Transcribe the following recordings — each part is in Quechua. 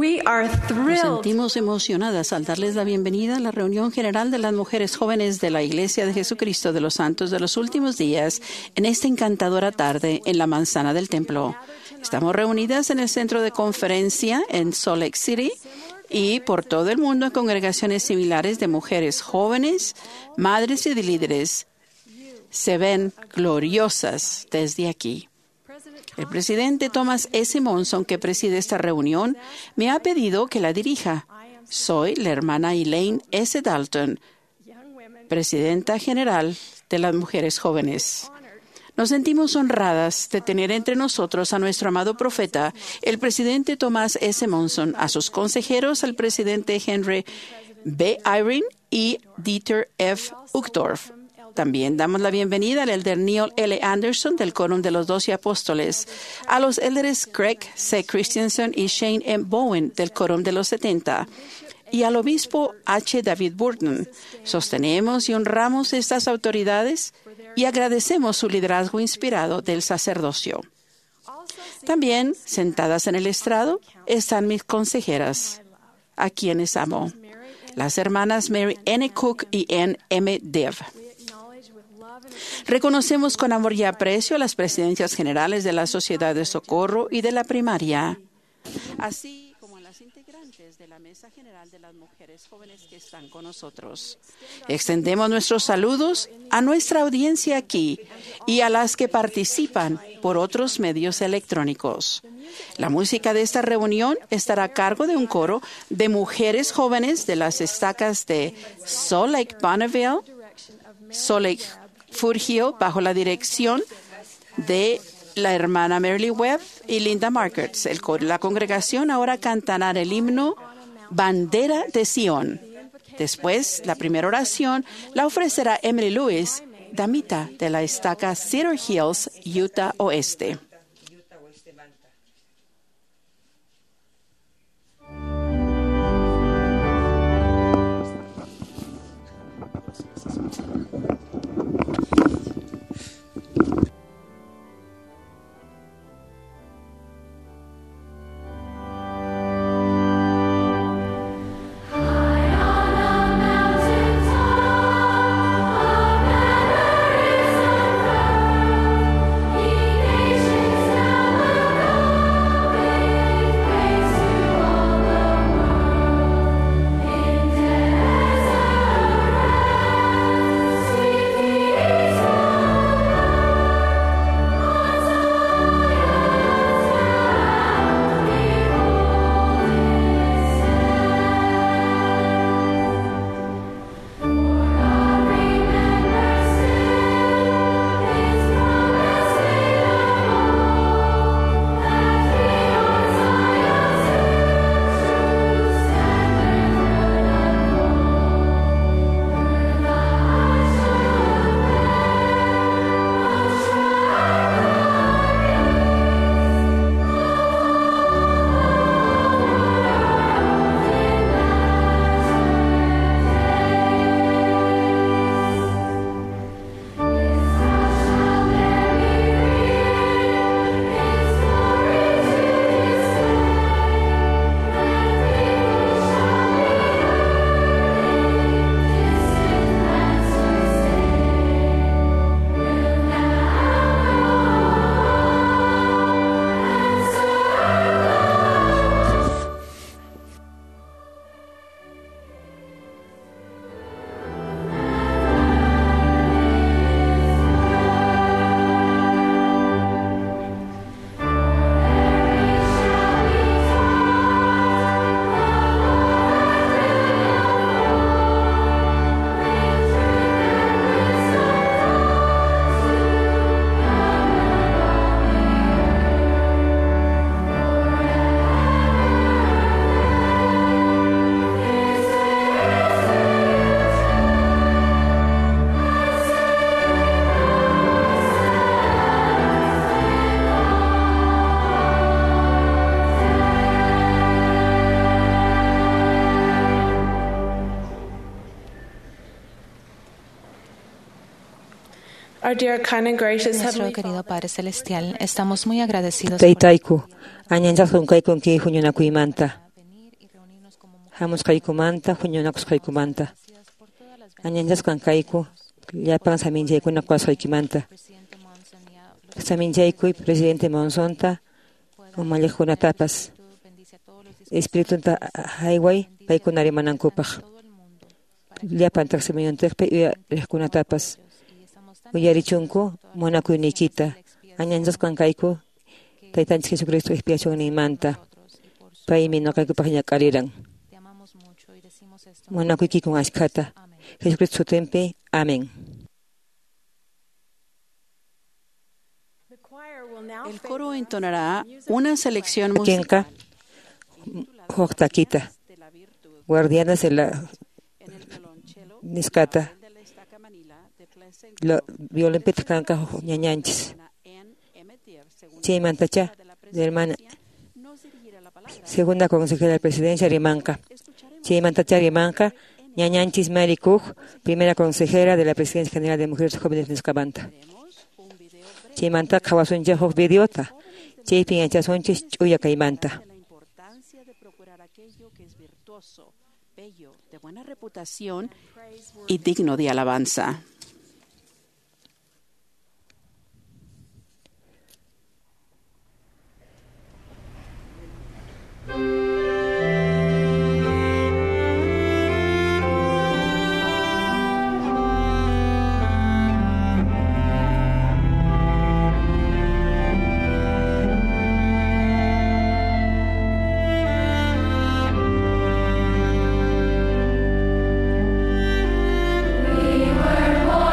Nos sentimos emocionadas al darles la bienvenida a la reunión general de las mujeres jóvenes de la Iglesia de Jesucristo de los Santos de los Últimos Días en esta encantadora tarde en la Manzana del Templo. Estamos reunidas en el centro de conferencia en Salt Lake City y por todo el mundo en congregaciones similares de mujeres jóvenes, madres y líderes. Se ven gloriosas desde aquí. El presidente Thomas S. Monson, que preside esta reunión, me ha pedido que la dirija. Soy la hermana Elaine S. Dalton, presidenta general de las mujeres jóvenes. Nos sentimos honradas de tener entre nosotros a nuestro amado profeta, el presidente Thomas S. Monson, a sus consejeros, al presidente Henry B. Eyring y Dieter F. Uchtdorf. También damos la bienvenida al elder Neil L. Anderson del Quórum de los Doce Apóstoles, a los elders Craig C. Christensen y Shane M. Bowen del Quórum de los 70 y al obispo H. David Burton. Sostenemos y honramos estas autoridades y agradecemos su liderazgo inspirado del sacerdocio. También, sentadas en el estrado, están mis consejeras, a quienes amo, las hermanas Mary N. Cook y N. M. Dev. Reconocemos con amor y aprecio a las presidencias generales de la Sociedad de Socorro y de la Primaria, así como a las integrantes de la Mesa General de las Mujeres Jóvenes que están con nosotros. Extendemos nuestros saludos a nuestra audiencia aquí y a las que participan por otros medios electrónicos. La música de esta reunión estará a cargo de un coro de mujeres jóvenes de las estacas de Salt Lake Bonneville, Salt Lake Foothill, bajo la dirección de la hermana Mary Webb y Linda Markers. La congregación ahora cantará el himno Bandera de Sion. Después, la primera oración la ofrecerá Emily Lewis, damita de la estaca Cedar Hills, Utah Oeste. Our dear, kind and gracious Nuestro Heavenly querido Padre Celestial, estamos muy agradecidos por Taytayku, añanchasun kaykunki huñunakuymanta. Hamusqaykumanta, huñunakusqaykumanta. Añanchasqan kayku llapan saminchaykuna qusqaykimanta. Saminchaykuy presidente Monsonta umalliqkunatapas. Espiritunta hayway paykuna rimanankupaq. Llapan taqsimuyuntiqpi uyariqkunatapas. Uyarichunku munakuyniykita. Añanchasqan kayku Taytanchik Jesucristo expiacionninmanta. Paymi ñuqaykupaq ñak'ariran. Munakuykikun ashkhata. Jesucristo sutinpi. Amén. El coro entonará una selección musical. Huk takita. Guardianes de la nisqata. Violinpitaq kanqa ñañanchis. Chaymantacha de hermana segunda consejera de presidencia rimanqa. Chaymantacha rimanqa ñañanchis Mary Cook, primera consejera de la Presidencia General de Mujeres Jóvenes nisqamanta. Chaymanta qhawasunchik huk videota. Chaypi yachasunchik ch'uya kaymanta. De buena reputación y digno de alabanza. We were born.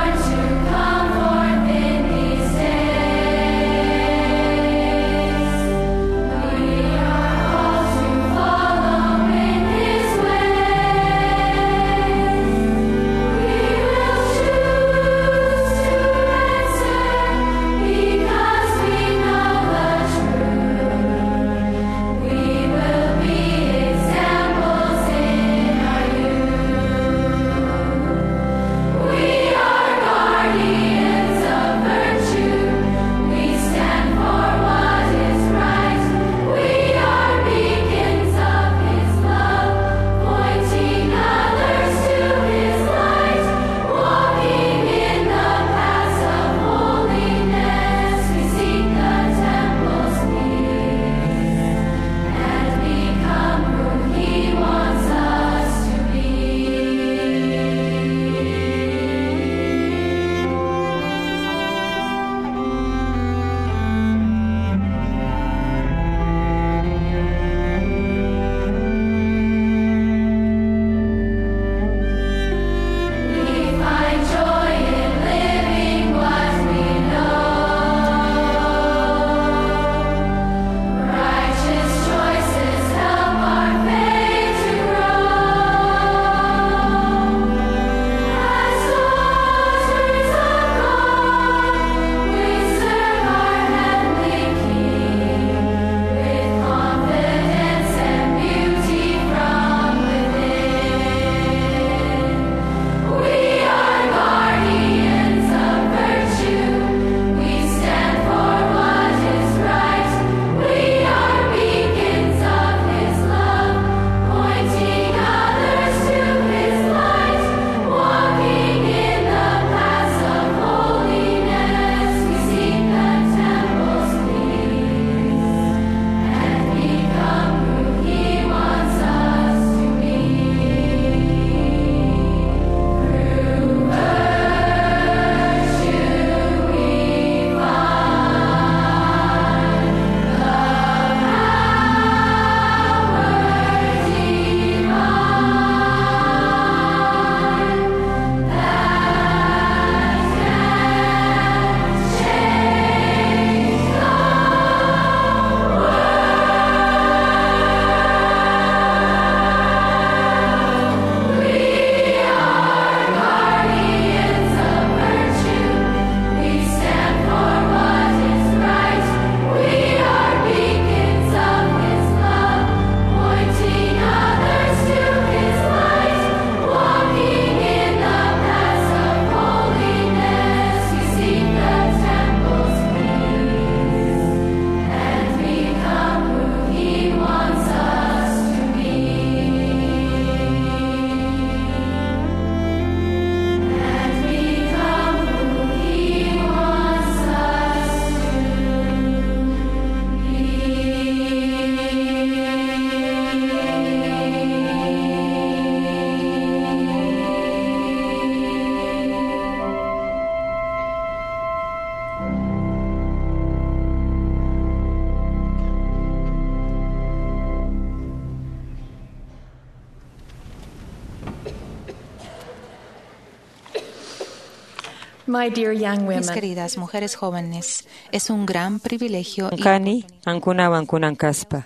My dear young Mis women, queridas mujeres jóvenes, es un gran privilegio y Kani qankunawan kunan kaspa.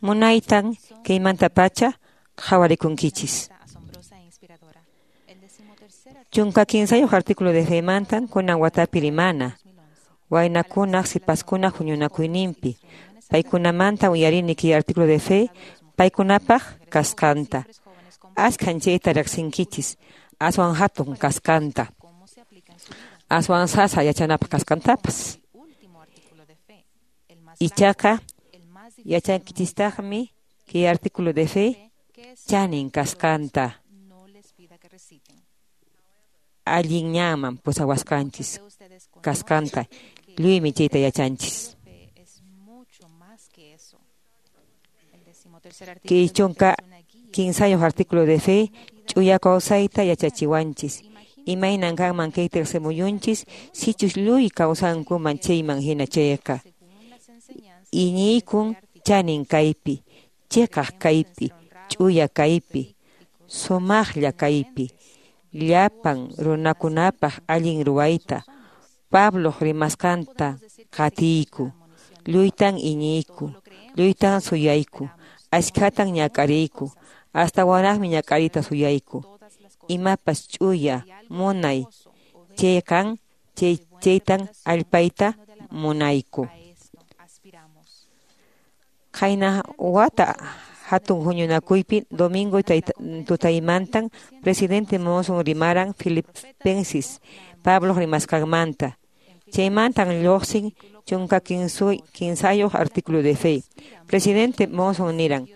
Munaytan kaymantapacha qhawarikunkichis. asombrosa e inspiradora. El decimotercer 13 artículo de femantan kunan watapi rimana. Waynakunaq sipaskunaq huñunakuyninpi. Paykunamanta uyarini kay artículo de fe paykunapaq kasqanta. Askhan chayta riqsinkichis aswan hatun kasqanta. cómo se aplica en su vida. Aswan sasa yachanapaq kasqantapas. Último artículo de fe, el más Ichaqa largo, el más difícil de yachankichistaqmi kay artículo de fe que es chanin kasqanta. no les pida que reciten. Allin ñanman pusawasqanchis De ustedes conocen kasqanta lluymi chayta yachanchis. fe es mucho más que eso. El decimotercer artículo Kay de fe es una guía 13 artículo de fe ch'uya kawsayta yachachiwanchis. Imaynan kanman kay tiqsimuyunchis sichus lluy kawsankuman chayman hina chayqa. según las enseñanzas Iñiykun chanin kaypi, chiqaq kaypi, ch'uya kaypi, sumaqlla kaypi, llapan runakunapaq allin ruwayta, Pabloq rimasqanta qatiyku, lluytan iñiyku, lluytan suyayku, askhatan ñak'ariyku, astawanraqmi ñak'ariyta suyayku. todas las cosas Imapas ch'uya, munay, chayqan, chaytan allpayta munayku. a esto aspiramos. Qayna wata hatun huñunakuypi domingo tutaymantan presidente Monson rimaran Filipenses Pablo rimasqanmanta. Chaymantan lluqsin 13 artículo de fe. Presidente Monson niran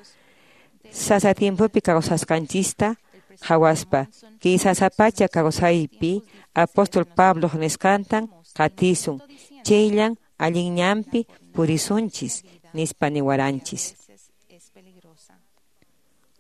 sasa tiempopi kawsasqanchista qhawaspa kay sasapacha kawsaypi apóstol Pablo nisqantan qatisun chayllan allin ñanpi purisunchis nispa niwaranchis. veces es peligrosa.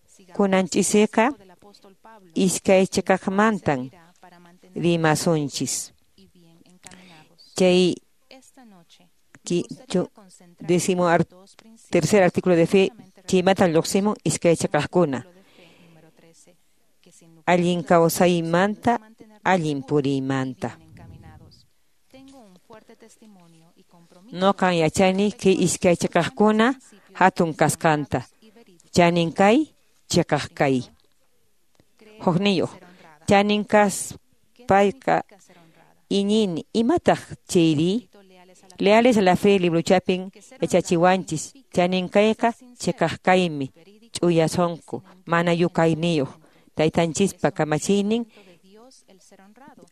Sigamos Kunanchisqa del apóstol Pablo iskay chiqaqmantan para mantener rimasunchis. y bien encaminados. Chay Esta noche ki me chu gustaría concentrarme décimo en dos principios tercer artículo de fe justamente chaymanta lluqsimun iskay chiqaqkuna. artículo de fe número 13, que sin lugar a Allin dudas kawsaymanta, nos mantenernos allin seguros y puriymanta. bien encaminados. Tengo un fuerte testimonio y compromiso Nuqan yachani respecto kay a los iskay chiqaqkuna principios que hatun son kasqanta. honrados y verídicos. Chanin kay, chiqaq kay. Creer Hukniyuq. ser honrada. Chanin ¿Qué kaspayqa significa ser honrada? iñini imataq chayri? Repito, leales a la Leales a la fe libruchapin que ser honrado yachachiwanchis. significa Chanin kayqa ser sincero, chiqaq kaymi, verídico ch'uya y sunqu, sin mana engaño en todo yukayniyuq. momento. Taytanchispa Es un kamachiynin mandamiento de Dios el ser honrado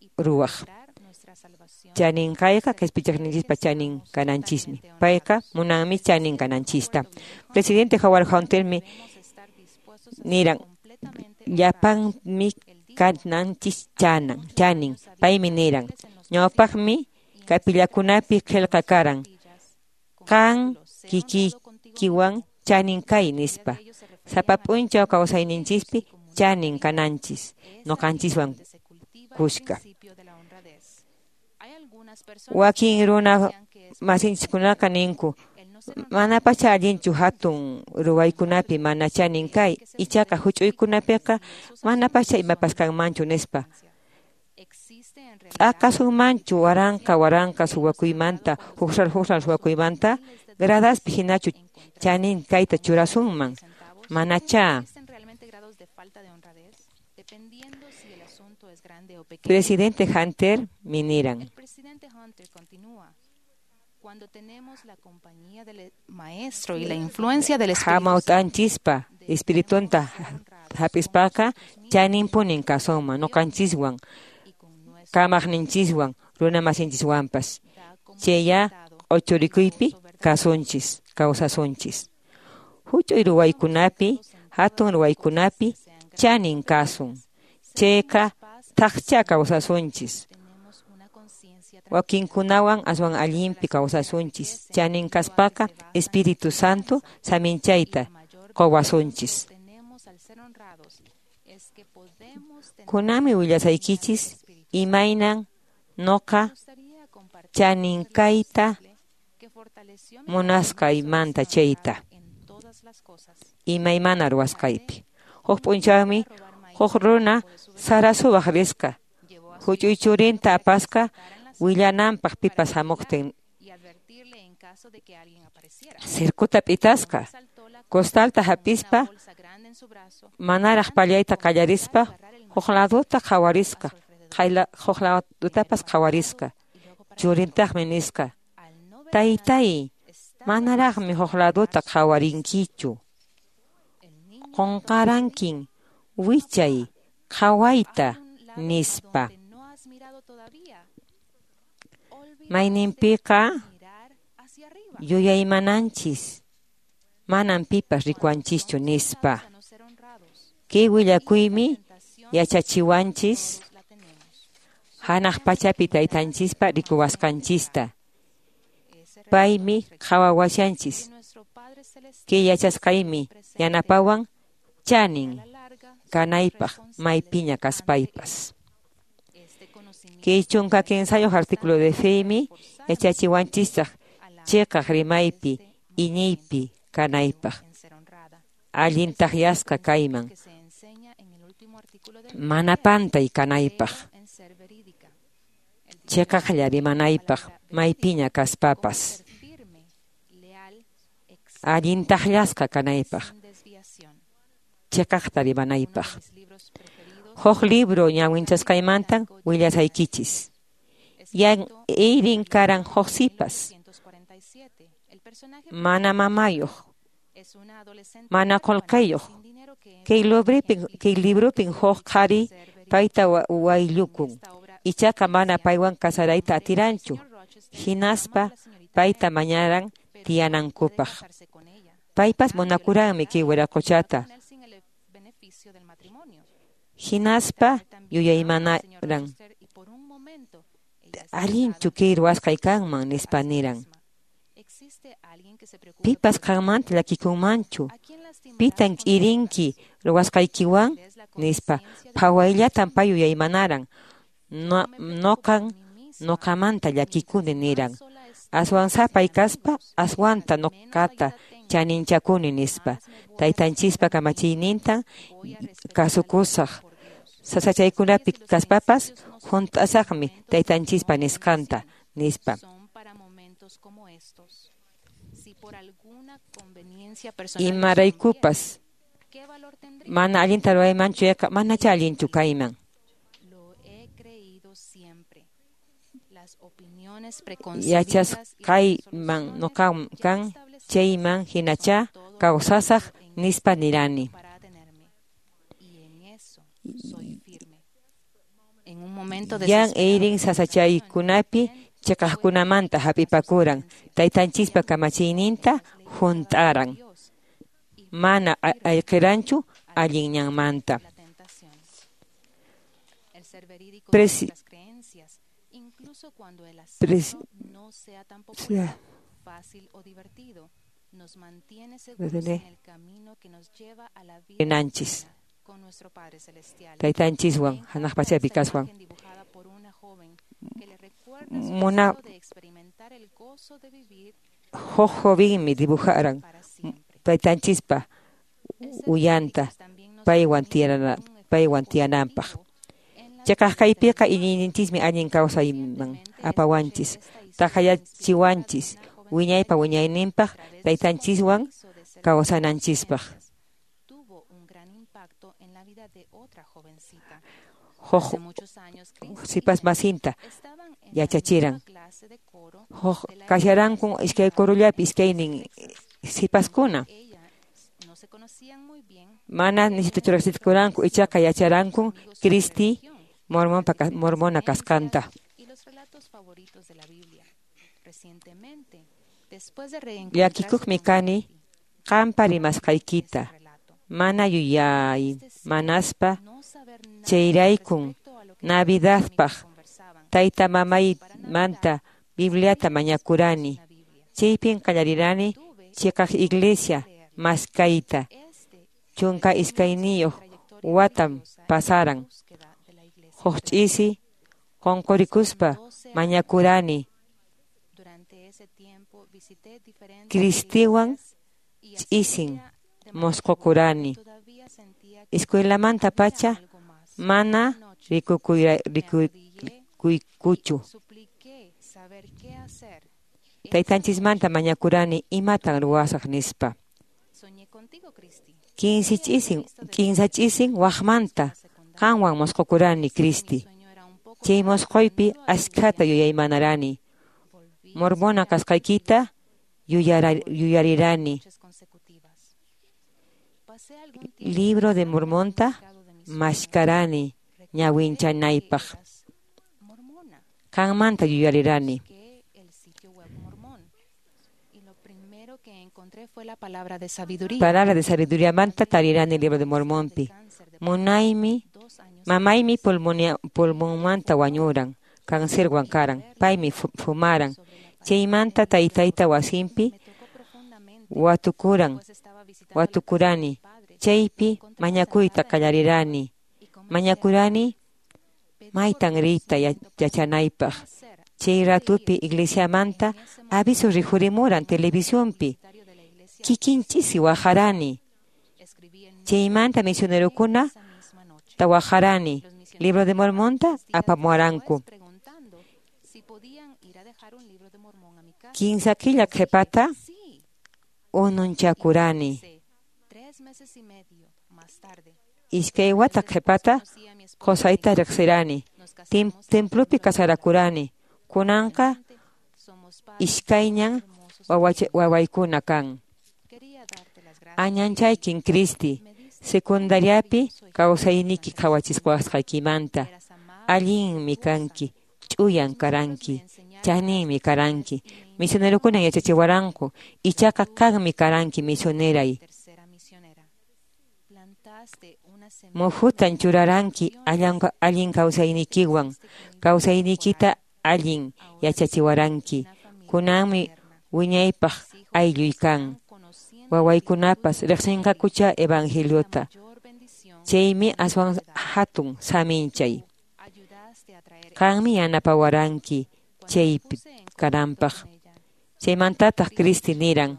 y ruwaq. procurar nuestra salvación Chanin kayqa se requiere qhispichaqninchispa que chanin seamos kananchismi. totalmente Payqa honrados. munanmi El chanin presidente kananchista. Howard W. Presidente Hunter Howard Huntermi debemos estar dispuestos a ser niran completamente honrados. llapanmi Él dijo, kananchis hace chanan, muchos chanin. años había Paymi niran carteles en los ñawpaqmi pasillos y en las kapillakunapi entradas con qillqa karan. capillas con el Qan título Sé honrado contigo kikiykiwan mismo. chanin kay La mayoría nispa. de ellos se referían Sapa a p'unchaw nosotros mismos kawsayninchispi y comunidad chanin divina. kananchis, Es allí nuqanchiswan donde se cultiva el kushka. principio de la honradez. Hay algunas personas que Wakin runa piensan que es masinchiskunaqa ninku el no ser honrado manapacha allinchu hatun ruwaykunapi mana chanin kay, que se ichaqa puede huch'uykunapiqa si esos manapacha asuntos son imapas de kanmanchu menor nispa. importancia. Existe en realidad T'aqasunmanchu waranqa waranqa el no ser honrado suwakuymanta, cuando se hukral hukral trata de suwakuymanta, miles de dólares gradaspi hinachu en contraste chanin kayta con unos churasunman, 20 centavos. manachá. ¿Existen realmente grados de falta de honradez? Dependiendo si el asunto es grande o pequeño. Presidente Hunter mi niran. El presidente Hunter continúa. Cuando tenemos la compañía del maestro y la influencia del Espíritu Santo, Hamawt'anchispa espiritunta hap'ispaqa chaninpunin kasunman nuqanchiswan, y con nuestro kamaqninchiswan, runa masinchiswanpas. da como Chayya resultado q'uchurikuypi un gozo verdadero. kasunchis, kawsasunchis. Huch'uy ruwaykunapi, hatun ruwaykunapi chanin kasun. Chayqa thaqcha kawsasunchis. Tenemos una conciencia Wakinkunawan aswan allinpi kawsasunchis. Chanin kaspaqa Espíritu Santo saminchayta quwasunchis. tenemos al ser honrados es que podemos tener Kunanmi willasaykichis imaynan nuqa Me gustaría compartir chanin un relato kayta simple que fortaleció mi munasqaymanta compromiso de ser chayta. honrada en todas las cosas. Imaymana ruwasqaypi. Huk p'unchawmi huk runa sara suwaq risqa. Llevó a su Huch'uy churinta apasqa willananpaq pipas hamuqtin. Sirkuta p'itasqa, costalta hap'ispa, manaraq pallayta qallarispa, huk laduta qhawarisqa, huk ladutapas qhawarisqa. Churintaqmi nisqa, taytay, manaraqmi huk laduta qhawarinkichu. Qunqarankin wichay qhawayta nispa. Mayninpiqa yuyaymananchis, manan pipas rikuwanchischu nispa. Kay willakuymi yachachiwanchis hanaq pachapi taytanchispa rikuwasqanchista. Paymi qhawawashanchis. Kay yachasqaymi yanapawan chanin kanaypaq maypiña kaspaypas. Kay 13 artículo de feymi yachachiwanchistaq chiqaq rimaypi iñiypi kanaypaq. Allin taqyasqa kayman, mana pantay kanaypaq, chiqaqlla rimanaypaq maypiña kaspapas. Allin taqyasqa kanaypaq, chiqaqta rimanaypaq. Huk libro ñawinchasqaymantan willasaykichis. Yan Eirin karan huk sipas, mana mamayuq, mana qullqiyuq. Kay librupin huk qhari payta wayllukun, ichaqa mana paywan kasarayta atiranchu, hinaspa payta mañaran tiyanankupaq. Paypas munakuranmi kay wiraquchata. Hinaspa yuyaymanaran, allinchu kay ruwasqay kanman nispa niran. Pipas qanmanta llakikunmanchu, pitan k'irinki ruwasqaykiwan nispa. Phawayllatan pay yuyaymanaran, noqan noqamanta llakikuni niran. Aswan sapay kaspa aswanta noqata chaninchakuni nispa. Taytanchispa kamachiynintan kasukusaq. Sasachaykunapi kaspapas hunt'asaqmi taytanchispa nisqanta nispa. Imaraykupas mana allinta ruwaymanchu yaqa manacha allinchu kayman. Yachasqayman noqan kan chayman hinacha kawsasaq nispa nirani. Yan Eirin sasachaykunapi chiqaqkunamanta hap'ipakuran, taytanchispa kamachiyninta hunt'aran. Mana ayqiranchu allin ñanmanta. Rinanchis taytanchiswan hanaq pachapi kaswan. Muna huk jovenmi dibujaran taytanchispa uyanta paywan tiyananpaq. Chiqaq kaypiqa iñiyninchismi allin kawsayman apawanchis, taqayachiwanchis wiñaypa wiñayninpaq taytanchiswan kawsananchispaq. Huk sipas masinta yachachiran. Huk kasharanku iskay kurullapi iskaynin sipaskuna. Mana nisituchuraqsikuranku ichaqa yacharanku Cristi mormona kasqanta. Llakikuqmi kani qampa rimasqaykita, mana yuyay manaspa chayraykun Navidadpaq tayta mamaymanta Bibliata mañakurani. Chaypin qallarirani chiqaq iglesia maskayta. 12 watam pasaran. Huk ch'isi qunqurikuspa mañakurani. Cristiwan ch'isin mosqokurani. Escuelamanta pacha mana rikuykuchu. Taytanchismanta mañakurani imatan ruwasaq nispa. Kinsa ch'isin waqmanta qanwan mosqokurani, Cristi. Chay mosqoypi askhata yuyaymanarani. Mormona kasqaykita yuyarirani. Libro de Mormonta maskarani ñawinchanaypaq. Qanmanta yuyarirani. Palabra de sabiduría manta tarirani libro de Mormonpi. Munaymi, mamaymi pulmonmanta wañuran, cancerwan karan, paymi fumaran. Chaymanta taytayta wasinpi watukurani. Chaypi mañakuyta qallarirani. Mañakurani maytan riyta yachanaypaq. Chay ratupi iglesiamanta aviso rikhurimuran televisionpi. Kikinchisi waqarani. Chaymanta misionerokuna tawajarani. Libro de Mormonta apamuaranku. Kinsa killa qhipata ununchakurani. Iskay wata qhipata qusayta riqsirani. Templopi kasarakurani. Kunanqa iskayñan wawaykuna kan. Añanchaykin, Cristi, secundariapi kawsayniki qhawachisqaykimanta. Allinmi kanki, ch'uyan karanki, chaninmi karanki. Misionerokunan yachachiwaranku, ichaqa qanmi karanki misioneray. Muhutan churaranki allin kawsaynikiwan, kawsaynikita allin yachachiwaranki. Kunanmi wiñaypaq aylluy kan. Wawaykunapas riqsinqakucha evangeliota. Chaymi aswan hatun saminchay. Qanmi yanapawaranki chaypi kananpaq. Chaymantataq Cristi niran.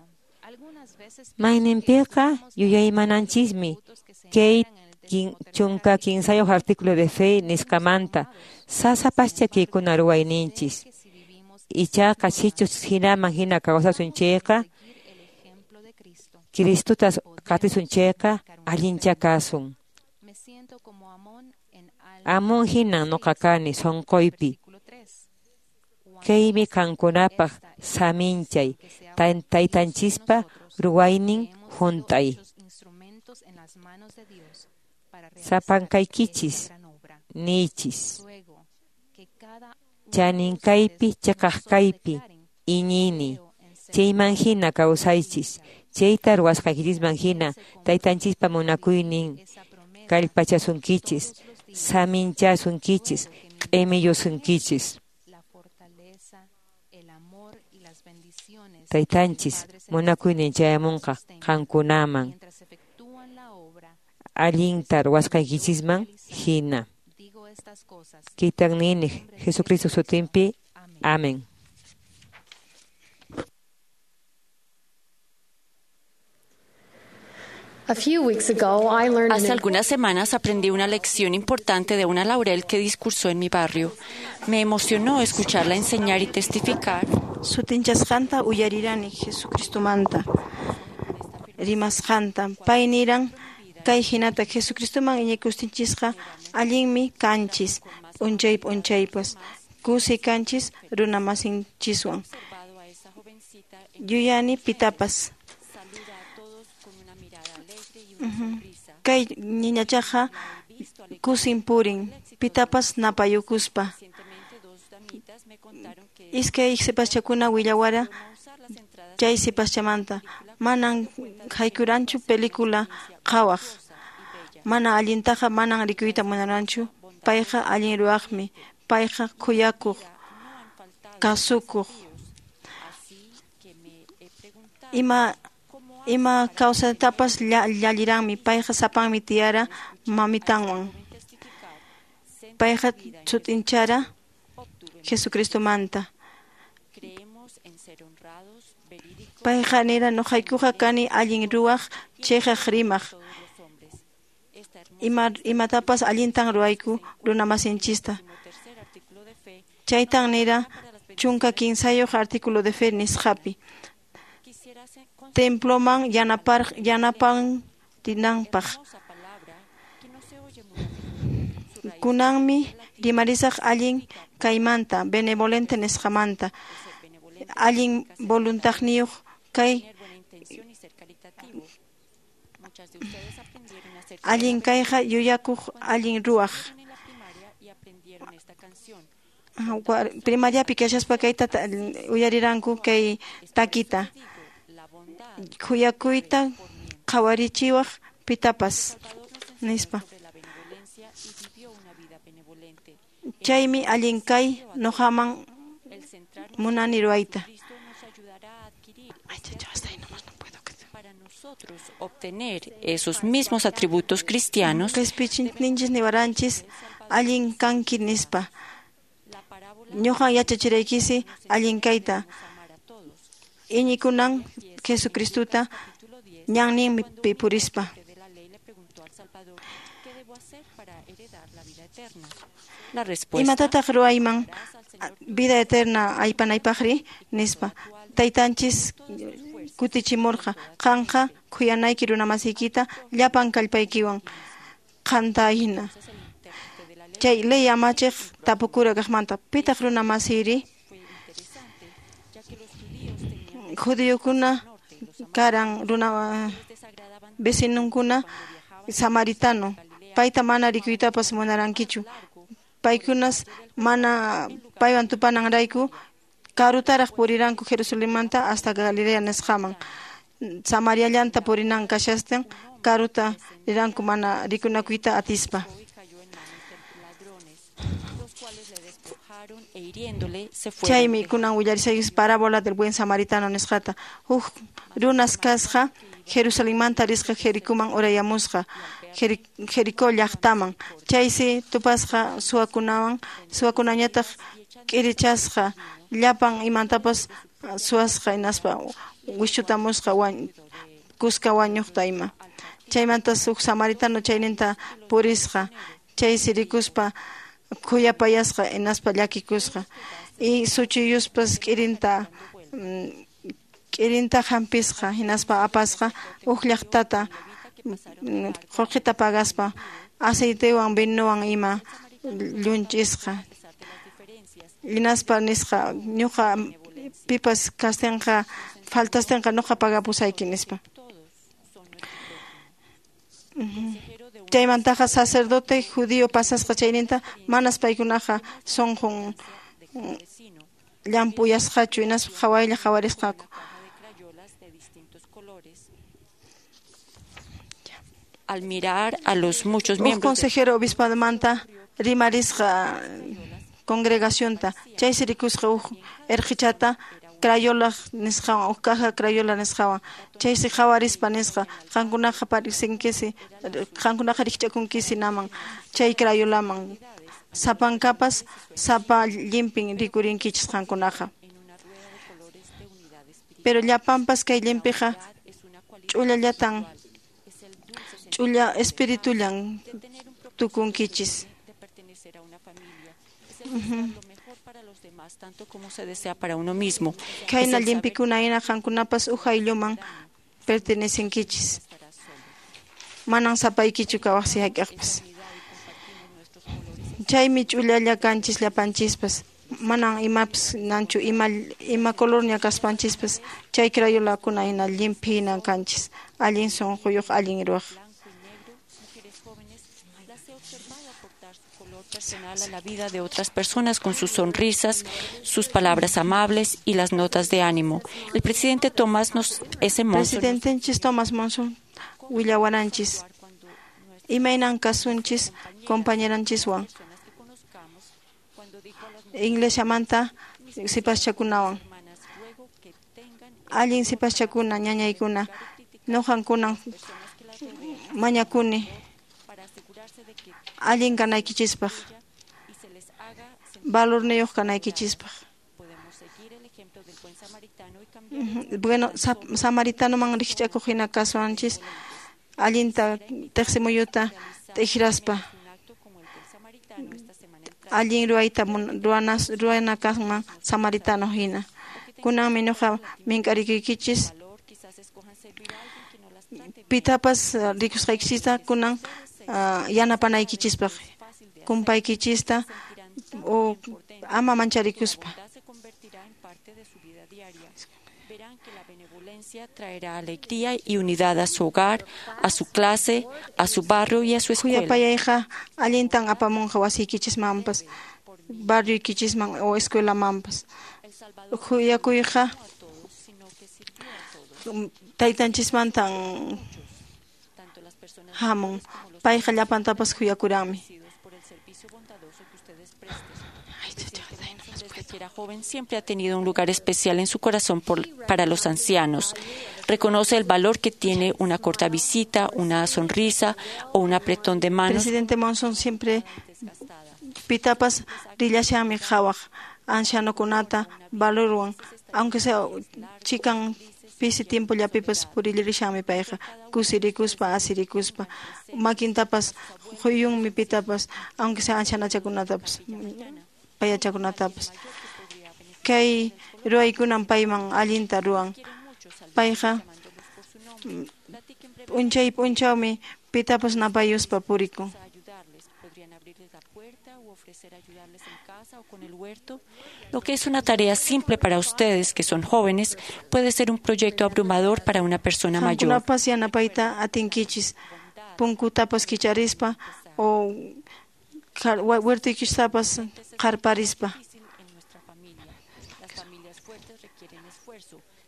Mayninpiqa yuyaymananchismi kay 13 artículo de fe nisqamanta sasapascha kaykuna ruwayninchis. Ichaqa sichus hinaman hina kawsasun chayqa, Cristutas qatisun chayqa allincha kasun. Amón hinan noqa kani sonqoypi. Kaymi qankunapaq saminchay taytanchispa ruwaynin hunt'ay. Sapankaykichis niychis. Chaninkaypi chiqaqkaypi iñini. Chayman hina kawsaychis. Chayta ruwasqaykichisman hina taytanchispa munakuynin kallpachasunkichis, saminchasunkichis, q'imiyusunkichis. Taytanchis munakuynin chayamunqa qankunaman allinta ruwasqaykichisman hina. Kaytan nini Jesucristo sutinpi. Amén. Hace algunas semanas aprendí una lección importante de una laurel que discursó en mi barrio. Me emocionó escucharla enseñar y testificar. Sutinchasqanta uyarirani Jesucristomanta. Rimasqanta pay niran kay hinata Jesucristoman iñikustinchikqa allinmi kanchis p'unchay p'unchaypas kusi kanchis runamasinchiswan. Yuyani pitapas. Kay niñachaqa kusin purin pitapas napayukuspa. Iskay sipaschakuna willawara chay sipaschamanta manan haykuranchu pelikula qhawaq. Mana allintaqa manan rikuyta munaranchu. Payqa allin ruwaqmi. Payqa khuyakuq, kasukuq. Ima kawsaytapas llalliranmi. Payqa sapanmi tiyara mamitanwan. Payqa sut'inchara Jesucristomanta. Payqa nira nuqaykuqa kani allin ruwaq chiqaq rimaq. Imatapas allintan ruwayku runamasinchista. Chaytan nira 13 artículo de fe nisqapi. Temploman yanapan rinanpaq. Kunanmi rimarisaq allin kaymanta, benevolente nisqamanta, allin voluntadniyuq kay allin kayqa yuyakuq allin ruwaq. Primariapi kashaspa kayta uyariranku kay takita. Khuyakuyta qhawarichiwaq pitapas nispa. Chaymi allin kay noqaman munani ruwayta. Obtener esos mismos atributos cristianos. Qhispichinchis niwaranchis allin kanki nispa. Ñuqan yachachiraykisi allin kayta. Iñikunan Jesucristuta ñanninpi purispa. Imatataq ruwayman vida eterna aypanaypaqri nispa. Taytanchis kutichimurqa qanqa khuyanayki runamasiykita llapan kallpaykiwan qanta hina. Chay ley amachiq tapukura kaqmanta pitaq runamasiri. Judíokuna karan runa vecinunkuna samaritano payta mana rikuytapas munarankichu. Paykunas mana paywan tupananrayku karutaraq puriranku Jerusalenmanta hasta Galilea nisqaman. Samariallanta purinan kashastin karuta riranku mana rikunakuyta atispa. Chaymi kunan willarisaykus parábola del buen samaritano nisqata. Huk runas kasqa Jerusalenmanta risqa Jericoman urayamusqa Jericó llaqtaman. Chaysi tupasqa suwakunawan, suwakunañataq k'irichasqa llapan imantapas suwasqa hinaspa wischutamusqa kuska wañuqta ima. Chaymantas huk samaritano chayninta purisqa. Chaysi rikuspa khuyapayasqa hinaspa llakikusqa. Y suchuyuspas k'irinta hampisqa hinaspa apasqa huk llaqtata qullqita pagaspa aceitewan vinowan ima llunchisqa. Hinaspa nisqa ñuqa pipas kastinqa faltastinqa ñuqa pagapusayki nispa. Chaymantaqa sacerdote judío pasasqa chayninta manas paykunaqa sunqun llamp'uyasqachu hinaspa qhawaylla qhawarisqaku. Al mirar a los muchos miembros consejero obispadmanta rimarisqa congregacionta chaysi rikusqa huk erqichata crayola nisqawan huk caja crayola nisqawan chaysi qhawarispa nisqa qankunaqa parisinkisi qankunaqa rikch'akunkisi naman chay crayolaman sapankapas sapa llimpin rikurinkichis qankunaqa. Pero llapanpas kay llimpiqa ch'ullallatan ch'ulla espiritullan tukunkichis. Tanto como se desea para uno mismo. Khayna llimpikuna hina qankunapas huk aylluman pertenecenkichis. Manan sapaykichu kawaqsi hayk'aqpas. Chaymi ch'ullalla kanchis llapanchispas. Manan imapas nanchu ima colorña kaspanchispas chay crayolakuna hina llimpi hina kanchis. Allin sunquyuq allin ruwaq. Personal a la vida de otras personas con sus sonrisas, sus palabras amables y las notas de ánimo. El presidente Thomas S. Monson. Presidentenchis Thomas Monson willawaranchis. Imaynan kasunchis compañeranchiswan. Iglesiamanta sipaschakunawan. Allin sipaschakuna ñañaykuna ñuqankunan mañakuni allin kanaykichispaq, valorniyuq kanaykichispaq. Bueno, samaritanoman rikch'akuq hina kasuanchis allinta teqsimuyuta t'ijraspa. Allin ruwayta ruwana kanman samaritano hina. Kunanmi ñuqa mink'arikuykichis pitapas rikusqaykichista kunan yanapanaykichispaq kumpaykichista o ama mancharikuspa. Verán que la benevolencia traerá alegría y unidad a su hogar, a su clase, a su barrio y a su escuela. Khuyapayayqa allintan apamunqa wasiykichismanpas, barrioykichisman o escuelamanpas. Khuyakuyqa taytanchismantan hamun. Payqa llapantapas khuyakuranmi. Desde que era joven siempre ha tenido un lugar especial en su corazón para los ancianos. Reconoce el valor que tiene una corta visita, una sonrisa o un apretón de manos. Presidente Monson siempre pitapas rillashanmi qhawaq ancianokunata valorwan, aunque sea chikan pisi tiempollapipas purillarishanmi payqa kusirikuspa asirikuspa makintapas quyunmi pitapas aunque sea ancianachakunatapas payachakunatapas. Kay ruwaykunan payman allinta ruwan. Payqa p'unchay p'unchawmi pitapas napayuspa purikun. Lo que es una tarea simple para ustedes que son jóvenes puede ser un proyecto abrumador para una persona mayor. Qankunapas yanapayta atinkichis punkutapas kicharispa o huertuykichtapas qarparispa.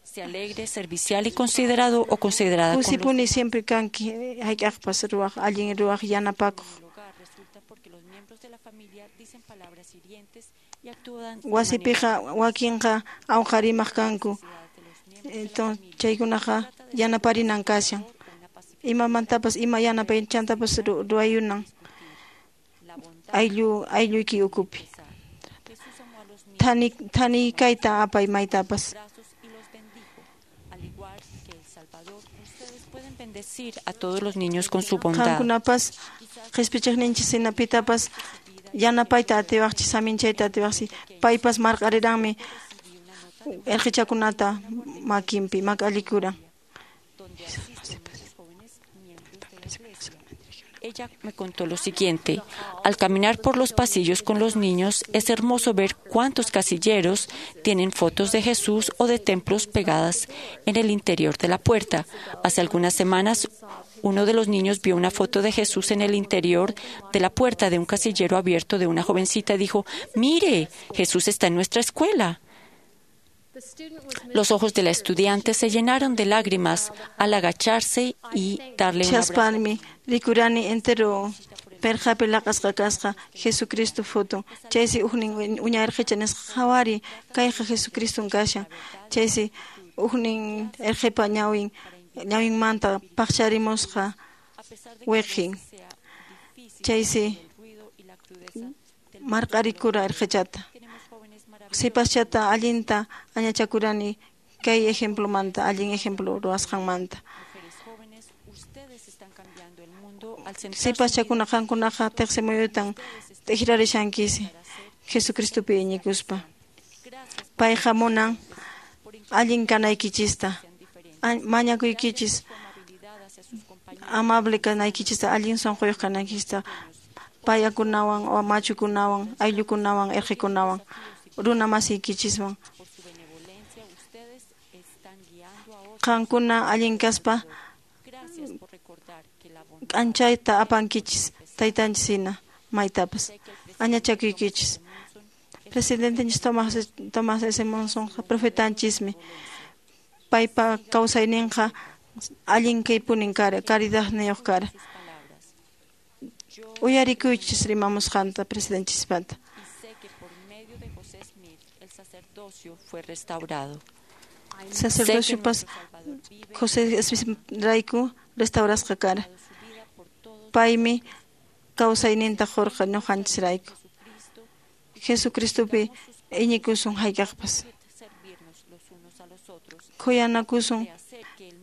Sea alegre, servicial y considerado o considerada. Kusipuni siempre kanki hayk'aqpas ruwaq allin ruwaq yanapakuq. Wasipiqa wakinqa awqarimaq kanku. Entonces chaykunaqa yanaparinan kashan. Imamantapas ima yanapaychantapas ruwayunan aylluyki ukupi. Thani kayta apay maytapas. Bendecir a todos los niños con su bondad. Qankunapas qhispichiqninchis hina pitapas yanapayta atiwaqchis saminchayta atiwaqchis. Paypas marq'ariranmi erqichakunata makinpi mak'allikuran. Ella me contó lo siguiente: al caminar por los pasillos con los niños es hermoso ver cuántos casilleros tienen fotos de Jesús o de templos pegadas en el interior de la puerta. Hace algunas semanas, uno de los niños vio una foto de Jesús en el interior de la puerta de un casillero abierto de una jovencita y dijo: «Mire, Jesús está en nuestra escuela». Los ojos de la estudiante se llenaron de lágrimas al agacharse y darle un abrazo. Chaspanmi rikurani entero perqapi laq'asqa kasqa Jesucristo foto. Chaysi ujnin uña erqicha nisqa qhawari kayqa Jesucriston kashan. Chaysi ujnin erqipa ñawin ñawinmanta paqcharimusqa wiqin. Chaysi marq'arikura erqichata. Sipaschata allinta añachakurani kay ejemplomanta, allin ejemplo ruwasqanmanta. Sipaschakuna qankunaqa tiqsimuyutan t'ikrarishankisi Jesucristopi iñikuspa. Payqa munan allin kanaykichista, mañakuykichis amable kanaykichista, allin sunquyuq kanaykichista, payakunawan o machukunawan, ayllukunawan, erqikunawan, runa masiykichiswan. Qankuna allin kaspa k'anchayta apankichis taytanchis hina maytapas añachakuykichis. Presidentenchis Thomas S. Monsonqa profetanchismi. Paypa kawsayninqa allin kaypunin kara, caridadniyuq kara. Uyarikuychis rimamusqanta presidenchispanta. Fue restaurado. Sacerdociopas José Smith rayku restaurasqa kara. Paymi kawsayninta qurqa ñuqanchisrayku. Jesucristopi iñikusun hayk'aqpas. Khuyanakusun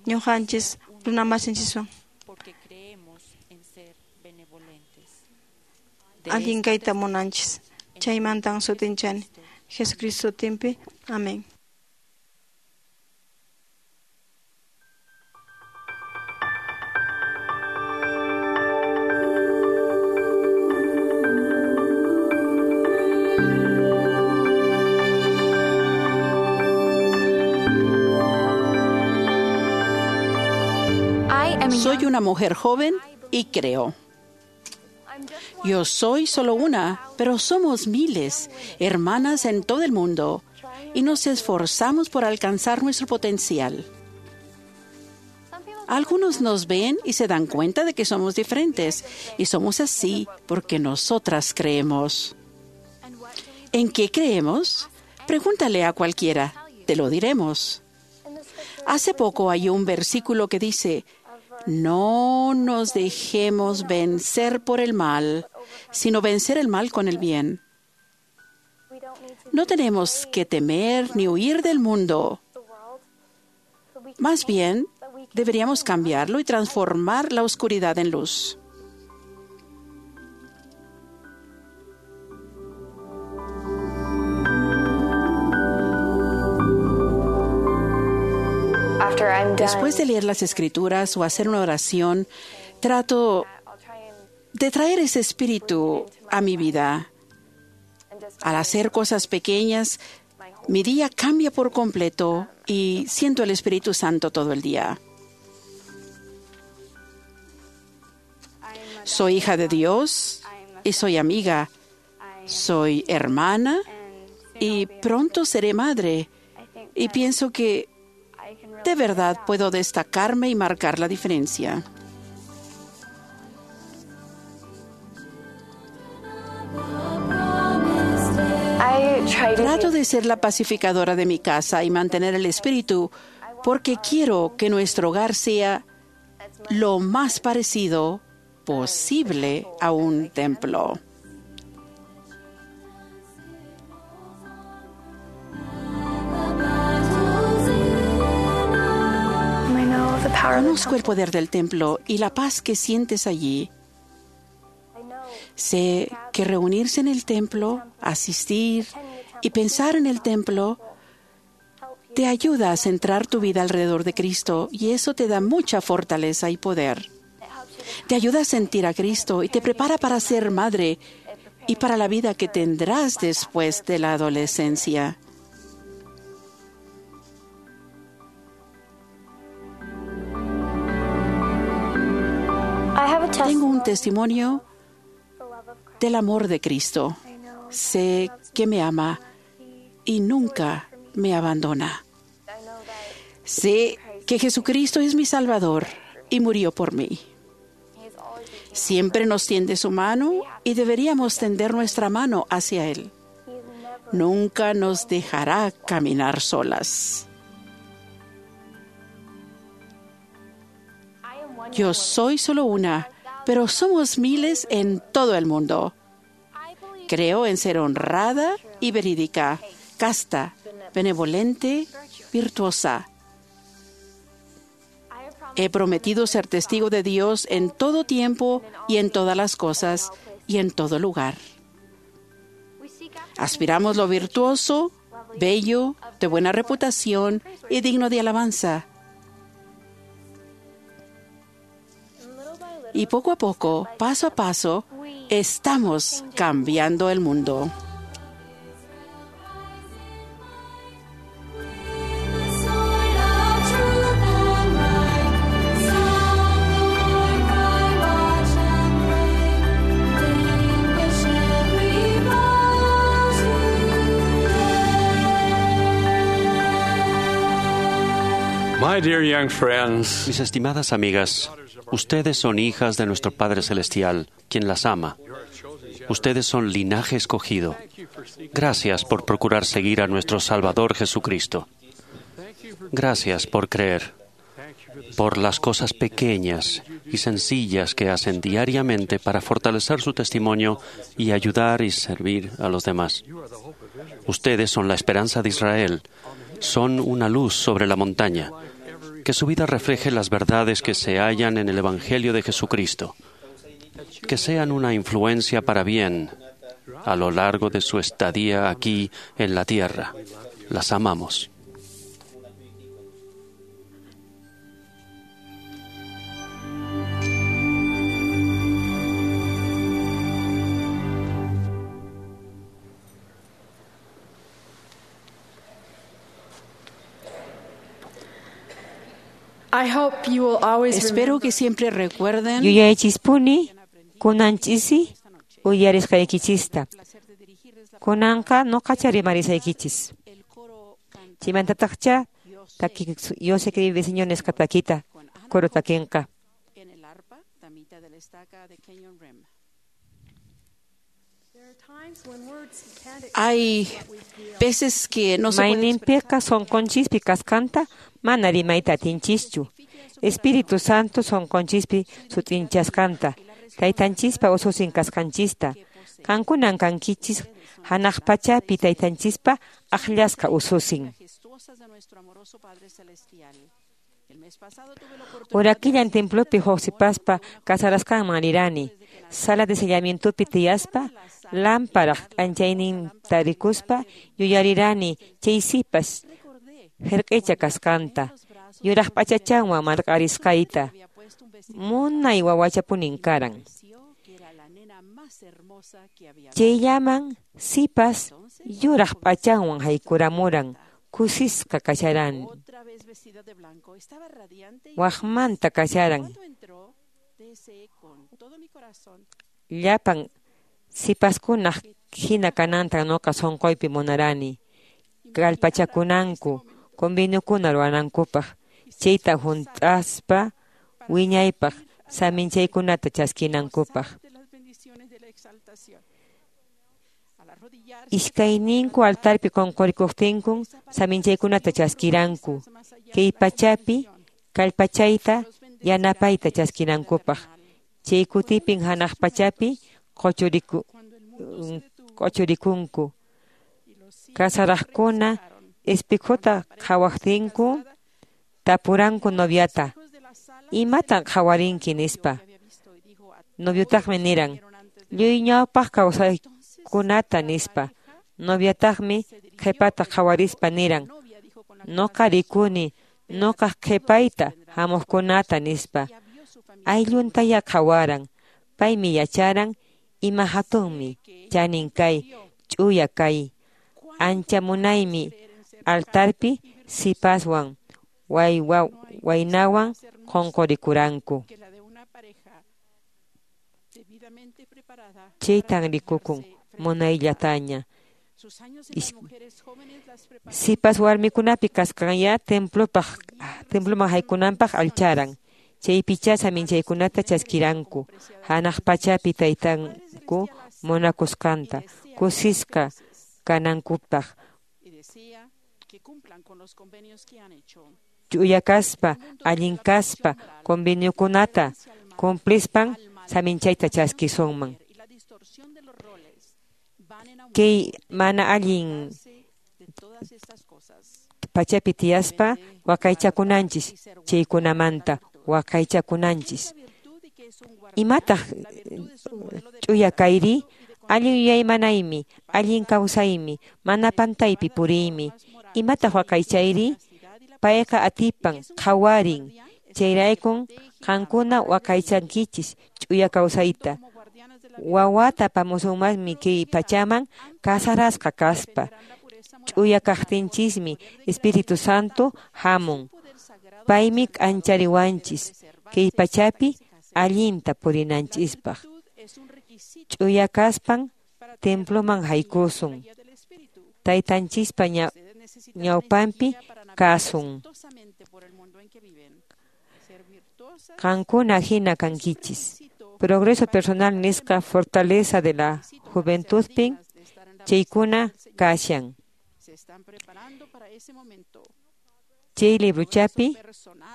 ñuqanchis runamasinchiswan. Allin kayta munanchis. Chaymantan sutinchani. Jesucristo sutinpi. Amén. Soy una mujer joven y creo. Yo soy solo una, pero somos miles, hermanas en todo el mundo, y nos esforzamos por alcanzar nuestro potencial. Algunos nos ven y se dan cuenta de que somos diferentes, y somos así porque nosotras creemos. ¿En qué creemos? Pregúntale a cualquiera, te lo diremos. Hace poco hay un versículo que dice, no nos dejemos vencer por el mal, sino vencer el mal con el bien. No tenemos que temer ni huir del mundo. Más bien, deberíamos cambiarlo y transformar la oscuridad en luz. Después de leer las escrituras o hacer una oración, trato de traer ese espíritu a mi vida. Al hacer cosas pequeñas, mi día cambia por completo y siento el Espíritu Santo todo el día. Soy hija de Dios y soy amiga. Soy hermana y pronto seré madre. Y pienso que de verdad puedo destacarme y marcar la diferencia. Trato de ser la pacificadora de mi casa y mantener el espíritu porque quiero que nuestro hogar sea lo más parecido posible a un templo. Conozco el poder del templo y la paz que sientes allí. Sé que reunirse en el templo, asistir y pensar en el templo te ayuda a centrar tu vida alrededor de Cristo y eso te da mucha fortaleza y poder. Te ayuda a sentir a Cristo y te prepara para ser madre y para la vida que tendrás después de la adolescencia. Tengo un testimonio del amor de Cristo. Sé que me ama y nunca me abandona. Sé que Jesucristo es mi Salvador y murió por mí. Siempre nos tiende su mano y deberíamos tender nuestra mano hacia Él. Nunca nos dejará caminar solas. Yo soy solo una, pero somos miles en todo el mundo. Creo en ser honrada y verídica, casta, benevolente, virtuosa. He prometido ser testigo de Dios en todo tiempo y en todas las cosas y en todo lugar. Aspiramos lo virtuoso, bello, de buena reputación y digno de alabanza. Y poco a poco, paso a paso, estamos cambiando el mundo. My dear young friends, Mis estimadas amigas, ustedes son hijas de nuestro Padre Celestial, quien las ama. Ustedes son linaje escogido. Gracias por procurar seguir a nuestro Salvador Jesucristo. Gracias por creer, por las cosas pequeñas y sencillas que hacen diariamente para fortalecer su testimonio y ayudar y servir a los demás. Ustedes son la esperanza de Israel, son una luz sobre la montaña. Que su vida refleje las verdades que se hallan en el Evangelio de Jesucristo. Que sean una influencia para bien a lo largo de su estadía aquí en la tierra. Las amamos. Espero que siempre recuerden Yuyaychispuni kunanchisi uyarisqaykichista. Kunanqa nuqacha rimarisaykichis. Chaymantataqcha taki Yo sé que vive Señor nisqa takita coro takinqa. Hay veces que no se puede Mayninpiqa sunqunchispi kasqanta mana rimayta atinchischu. Espíritu Santo sunqunchispi sut'inchasqanta, taytanchispa ususin kasqanchista. Qankunan kankichis hanaq pachapi taytanchispa aqllasqa ususin. Urakillan templopi huk sipaspa casarasqanman rirani. Sala de sellamientopi tiyaspa, lámparaq k'anchayninta rikuspa yuyarirani chay sipas hirq'icha kasqanta, yuraq p'achachanwan marq'arisqayta. Munay wawachapunin karan. Chayllaman sipas yuraq p'achanwan haykuramuran, kusisqa kasharan. Waqmanta kasharan. Llapan sipaskunaq hina kananta nuqa sunquypi munarani. Kallpachakunanku, conveniokuna ruwanankupaq, chayta hunt'aspa wiñaypaq saminchaykunata chaskinankupaq. Iskayninku altarpi qunqurikuqtinkun saminchaykunata chaskiranku, kay pachapi kallpachayta yanapayta chaskinankupaq. Chay kutipin hanaq pachapi q'uchurikunku. Kasaraqkuna espejota qhawaqtinku tapuranku noviata, imatan qhawarinki nispa. Noviotaqmi niran, lluy ñawpaq kawsaykunata nispa. Noviataqmi qhipata qhawarispa niran, nuqa rikuni nuqaq qhipayta hamuqkunata nispa. Aylluntaya qhawaran, paymi yacharan ima hatunmi chanin kay, ch'uya kay. Ancha munaymi altarpi sipaswan waynawan qunqurikuranku. Chaytan rikukun munayllataña. Sipas warmikunapi kasqanya temploman haykunanpaq allcharan. Chaypichá saminchaykunata chaskiranku, hanaq pachapi taytanku munakusqanta, kusisqa kanankupaq. Ch'uya kaspa, allin kaspa, conveniokunata cumplispan saminchayta chaskisunman. Kay mana allin pachapi tiyaspa waqaychakunanchis, chaykunamanta waqaychakunanchis. Imataq ch'uya kayri? Allin yuyaymanaymi, allin kawsaymi, mana pantaypi puriymi. Imataq waqaychayri? Payqa atipan, qhawarin. Chayraykun qankuna waqaychankichis ch'uya kawsayta. Wawata apamusunmanmi kay pachaman kasarasqa kaspa. Ch'uya kaqtinchismi Espíritu Santo hamun. Paymi k'anchariwanchis kay pachapi allinta purinanchispaq. Ch'uya kaspan temploman haykusun. Taytanchispa ñawpanpi kasun. Qankuna hina kankichis. Progreso personal nisqa fortaleza de la juventudpin chaykuna kashan. Chay libruchapi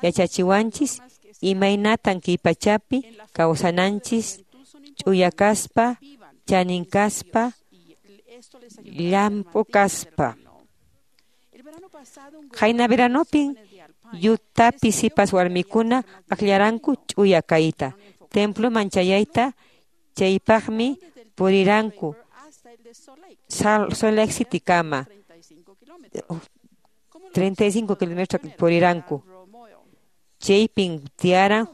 yachachiwanchis imaynatan kay pachapi kawsananchis ch'uya kaspa, chanin kaspa, llamp'u kaspa. Qayna veranopin Yutapi sipas warmikuna akllaranku ch'uya kayta, temploman chayayta, chaypaqmi puriranku. Salt Lake City kama 35 kilómetros puriranku. Chaypin tiyaran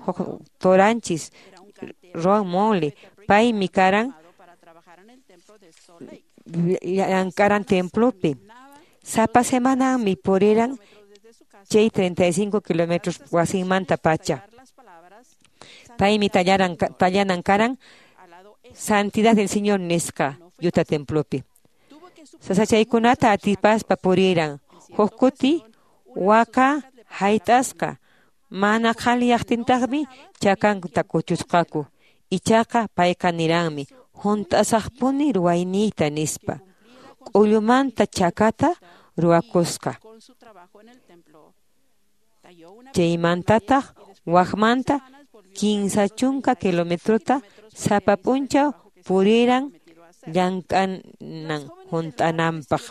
toranchis Ron Monley, paymi karan llankaran templopi. Sapa semananmi puriran chay 35 kilómetros wasinmanta pacha. Paymi tallanan karan Santidad del Señor nisqa Utah templopi. Sasachaykunata atipaspa puriran huk kuti waka hayt'asqa mana qhaliyaqtintaqmi chakankuta kuchusqaku. Ichaqa payqa niranmi hunt'asaqpuni ruwayniyta nispa. K'ullumanta chakata ruwakusqa. Chaymantataq wakmanta 30 kilometrota sapa p'unchaw puriran llank'anan hunt'ananpaq.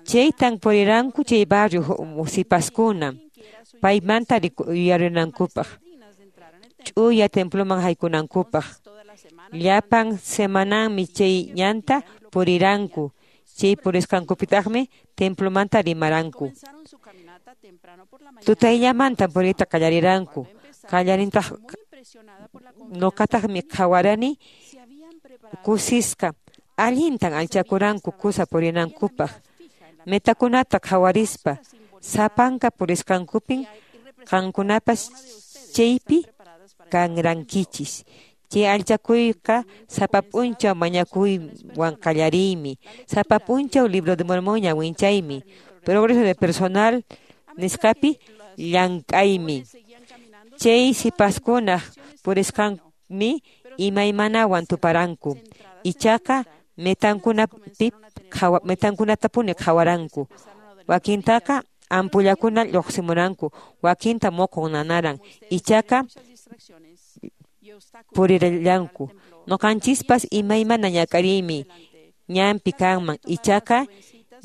Chaytan puriranku chay barrio sipaskuna paymanta yuyarinankupaq, ch'uya temploman haykunankupaq. Llapan semananmi chay ñanta puriranku, chay purisqankupitaqmi templomanta rimaranku. Tutayllamanta puriyta qallariranku. Qallarintaq nuqataqmi qhawarani kusisqa allintan allchakuranku kusa purinankupaq. Metakunata qhawarispa sapanka purisqankupin qankunapas chaypi kanrankichis. Chay allchakuyqa sapa p'unchaw mañakuywan qallariymi, sapa p'unchaw Libro de Mormón ñawinchaymi, progreso de personal nisqapi llank'aymi. Chay sipaskunaq purisqanmi imaymanawan tuparanku. Ichaqa metankunatapuni qhawaranku. Wakintaqa ampullakuna lluqsimuranku, wakinta muqun nanaran. Ichaqa purirallanku. Nuqanchispas imaymana ñak'ariymi ñanpi kanman. Ichaqa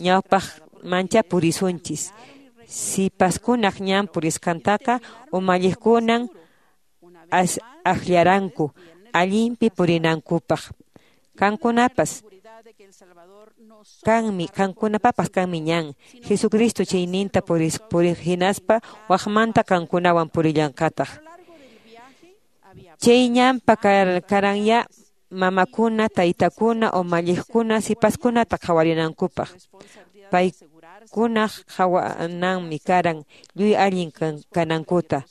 ñawpaqmancha purisunchis. Sipaskunaq ñan purisqantaqa umalliqkunan akllaranku allinpi purinankupaq. Qankunapas kanmi, qankunapapas kanmi ñan. Jesucristo chayninta puriq hinaspa wakmanta qankunawan purillanqataq. Chay ñanpa karanya mamakuna, taytakuna, umalliqkuna sipaskunata qhawarinankupaq. Paykunaq qhawananmi karan lluy allin kanankuta.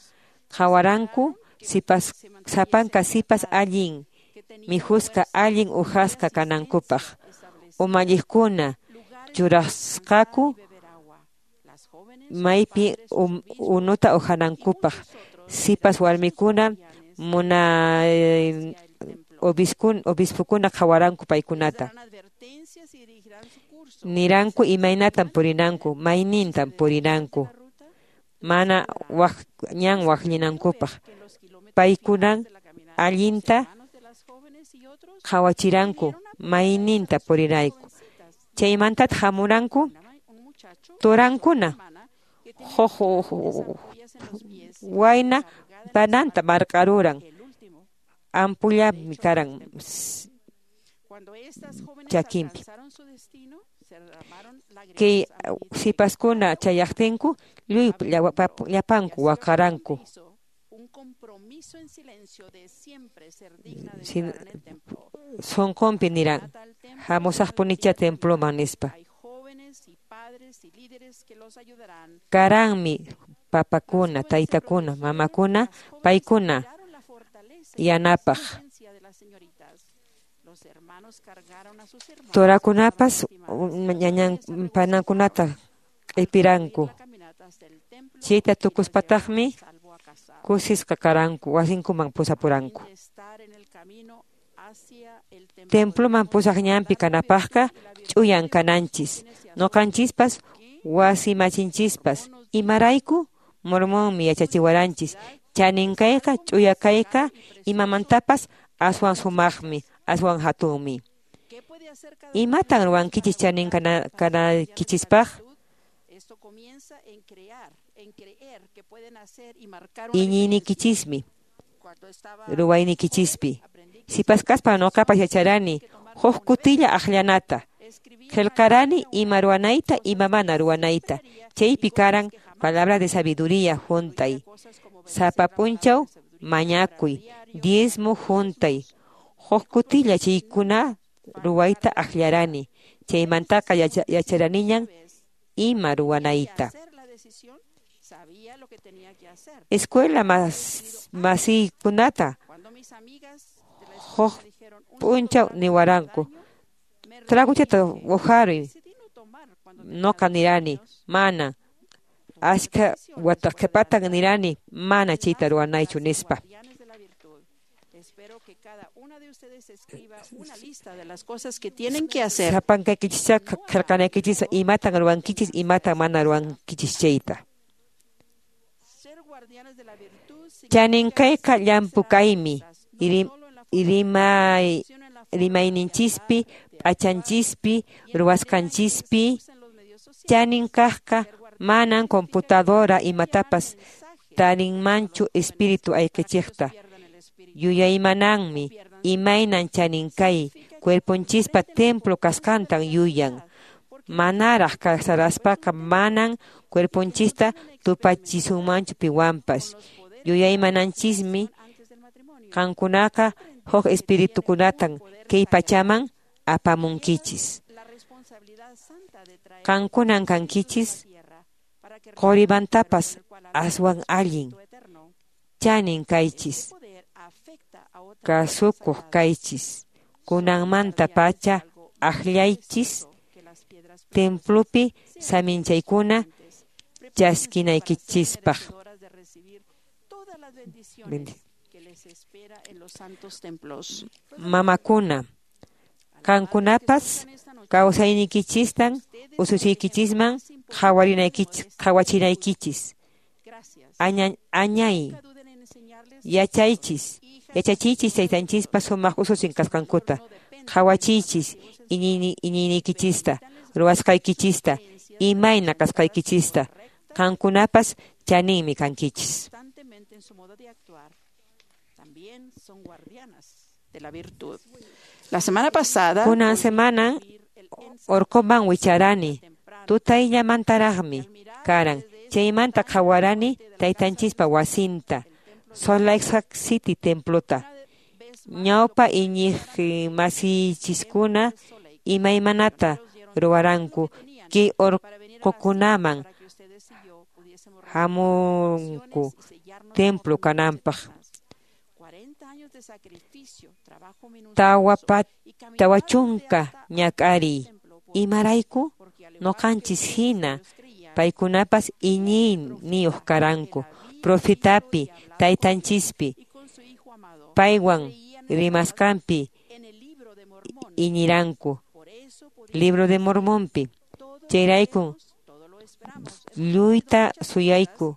Qhawaranku sipas sapanka sipas allin mikhusqa allin uhasqa kanankupaq. Umalliqkuna churasqaku maypi unuta uhanankupaq. Sipas warmikuna obispukuna qhawaranku paykunata. Niranku imaynatan purinanku, maynintan purinanku, mana ñan waqllinankupaq. Paykunan allinta qhawachiranku mayninta purinayku. Chaymantataq hamuranku turankuna huk wayna pananta marq'aruran. Ampullami karan chakinpi. Kay sipaskuna chayaqtinku lluy llapanku waqaranku. Sunqunpi niran hamusaqpunicha temploman nispa. Karanmi papakuna, taytakuna, mamakuna, paykuna yanapaq. Turakunapas panankunata q'ipiranku. Chayta tukuspataqmi kusisqa karanku, wasinkuman pusapuranku. Temploman pusaq ñanpi kanapaqqa ch'uyan kananchis. Nuqanchispas wasimachinchispas. Imarayku Mormonmi yachachiwaranchis. Chanin kayqa, ch'uya kayqa imamantapas aswan sumaqmi, aswan hatunmi. Imatan ruwankichis chanin kanaykichispaq? Iñiyniykichismi. ruwayniykichispi. Sipas kaspa noqapas yacharani huk kutilla aqllanata. Qillqarani ima ruwanayta ima mana ruwanayta. Chaypi karan palabra de sabiduría juntay. Sapa p'unchaw mañakuy, diezmo juntay. Huk kutilla chaykuna ruwayta aqllarani. Chaymantaqa yacharaniñan ima ruwanayta. Escuela masiykunata huk p'unchaw niwaranku. Traguchata uharuy noqa nirani mana ashka wataqhipatan nirani mana chayta ruwanaychu nispa. Sapankaykichis qillqanaykichis imatan ruwankichis imatan mana ruwankichis chayta. Chaninkayqa llampu kaymi rimayninchispi p'achanchispi ruwasqanchispi. Chanin kaqqa manan computadora imatapas tarinmanchu espíritu ayqichiqta. Yuyaymananmi imaynan chanin kay cuerponchispa templo kasqantan yuyan. Manaraq kasaraspaqa manan cuerponchista tupachisunmanchu piwanpas. Yuyaymananchismi qankunaqa huk espiritukunatan kay pachaman apamunkichis. Qankunan kankichis qurimantapas aswan allin. Chanin kaychis, kasukuq kaychis. Kunanmanta pacha aqllaychis templopi saminchaykuna chaskinaykichispaq. Mamakuna, qankunapas kawsayniykichistan ususiykichisman qhawachinaykichis. Añay yachaychis, yachachiychis taytanchispa sumaq ususin kasqankuta. Qhawachiychis iñiyniykichista, ruwasqaykichista, imayna kasqaykichista. Qankunapas chaninmi kankichis. La semana pasada, kunan semanan orqoman wicharani, tutayllamantaraqmi karan. Chaymanta qhawarani taytanchispa wasinta, Salt Lake City templota. Ñawpa iñiq masiychiskuna imaymanata ruwaranku kay orqokunaman hamunku templo kananpaq. 40 ñak'ariy imarayku noqanchis hina paykunapas iñiyniyuq karanku profetapi taytanchispi paywan rimasqanpi iñiranku libro de Mormonpi. Chayraykun lluyta suyayku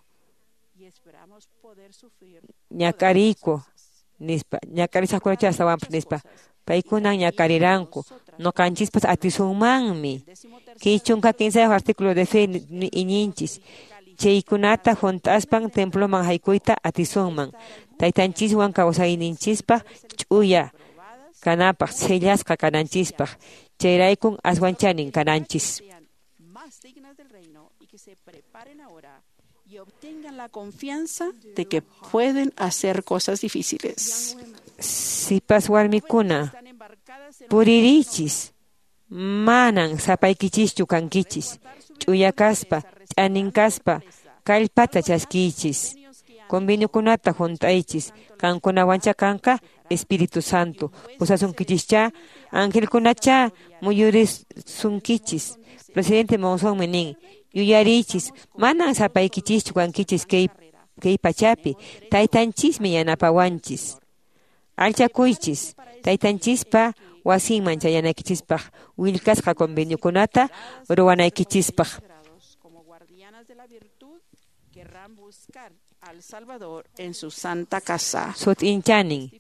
ñak'ariyku nispa, ñak'arisaqkunacha astawanpas nispa. Paykunan ñak'ariranku noqanchispas atisunmanmi. Kay 13 artículo de fe iñinchis. Chaykunata hunt'aspan temploman haykuyta atisunman. Taytanchiswan kawsayninchispaq ch'uya kanapaq, sellasqa kananchispaq. Chayraykun aswan chanin kananchis. Y obtengan la confianza de que pueden hacer cosas difíciles. Sipas warmikuna, puririchis, manan sapaykichischu kankichis, ch'uya kaspa, ch'anin kaspa, kallpata chaskiychis, conveniokunata hunt'aychis, qankunawancha kanqa Espíritu Santo, pusasunkichischá, angelkunacha muyurisunkichis. Presidente Monsonmi nin, yuyariychis, manan sapaykichischu kankichis kay pachapi, taytanchismi yanapawanchis. Alchakuychis, taytanchispa wasinman chayanaykichispaq, willkasqa conveniokunata ruwanaykichispaq. Sut'inchanin,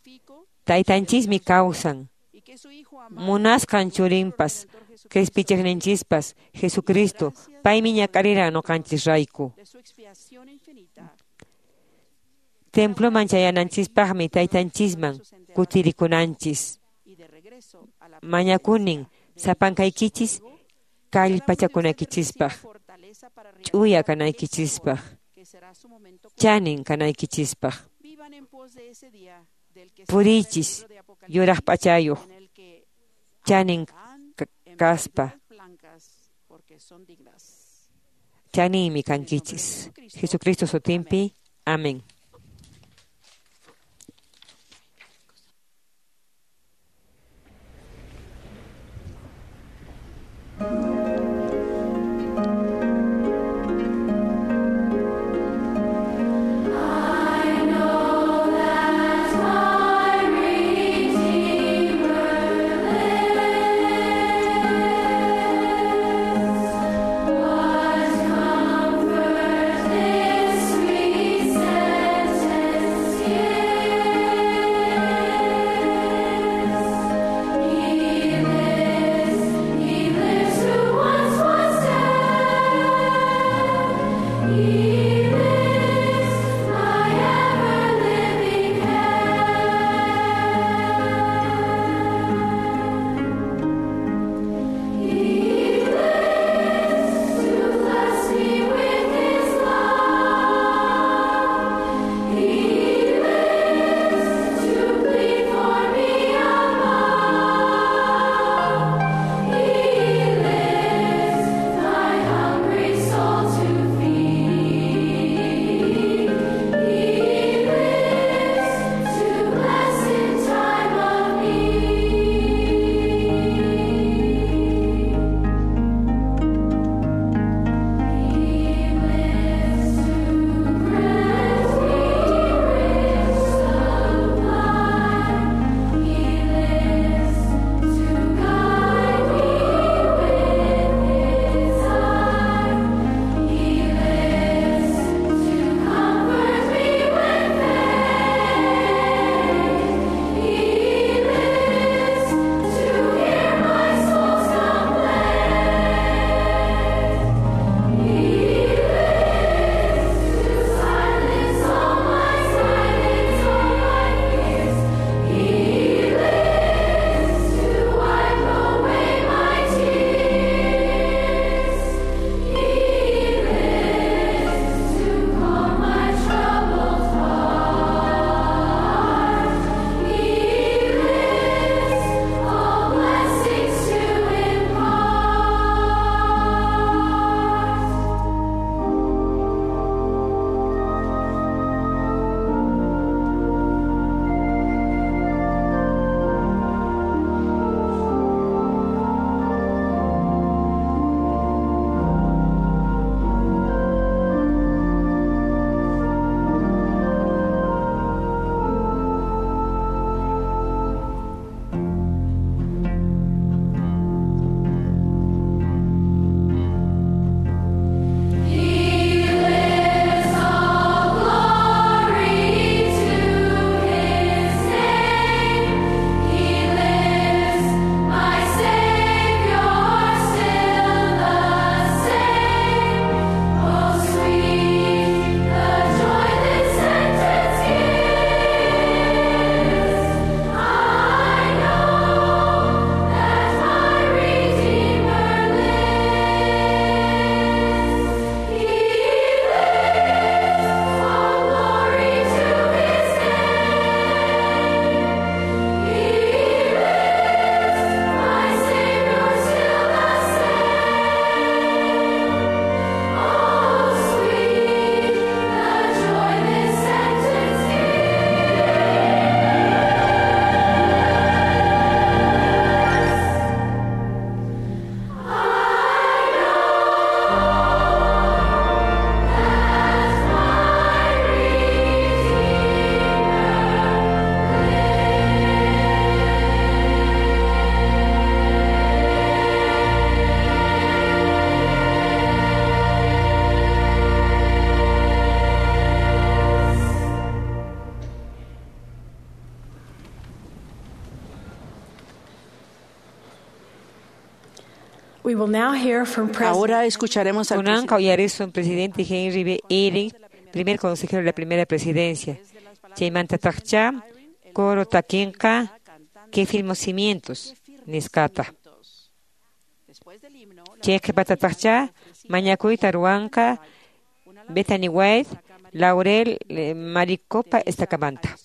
taytanchismi kawsan, munasqan churinpas, qhispichiqninchispas, Jesucristo, paymi ñak'ariran noqanchisrayku. Temploman chayananchispaqmi taytanchisman kutirikunanchis. Mañakunin sapankaykichis kallpachakunaykichispaq, ch'uya kanaykichispaq, chanin kanaykichispaq. Puriychis yuraq p'achayuq, chanin kaspa, chaninmi kankichis. Jesucristo sutinpi, amén. We will now hear from Ahora escucharemos al Kunan uyarisun presidente Henry B. Eyring, primer consejero de la primera presidencia. Chaymantataqcha coro takinqa que firmó cimientos nisqata. Chay qhipatataqcha mañakuyta ruwanqa Bethany White, Laurel Maricopa estacamanta.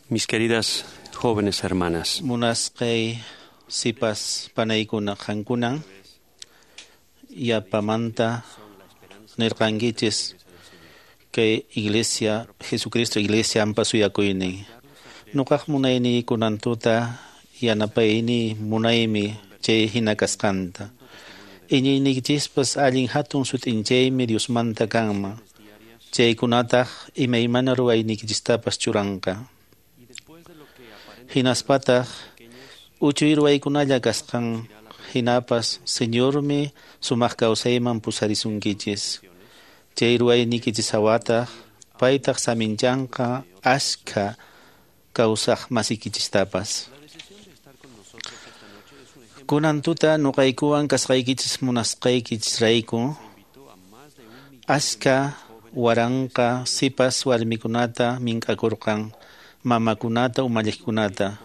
Mis queridas jóvenes hermanas, Munasqay sipas panaykuna qankunan yapamanta nirqankichis kay iglesia Jesucristo iglesia ampa suyakuynin. Nuqaq munayni kunantuta yanapayni munaymi chay hina kasqanta. Iñiyniykichispas allin hatun sut'inchaymi Diosmanta kanman. Chaykunataq imaymana ruwayniykichistapas churanqa. Hinaspataq uchuy ruwaykunalla kasqan hinapas Señormi sumaq kawsayman pusarisunkichis. Chay ruwayniykichis hawataq paytaq saminchanqa ashkha kawsaq masikichistapas. Kunan tuta nuqaykuwan kasqaykichis munasqaykichisrayku ashkha waranqa sipas warmikunata mink'akurqan mamakunata umalliqkunata.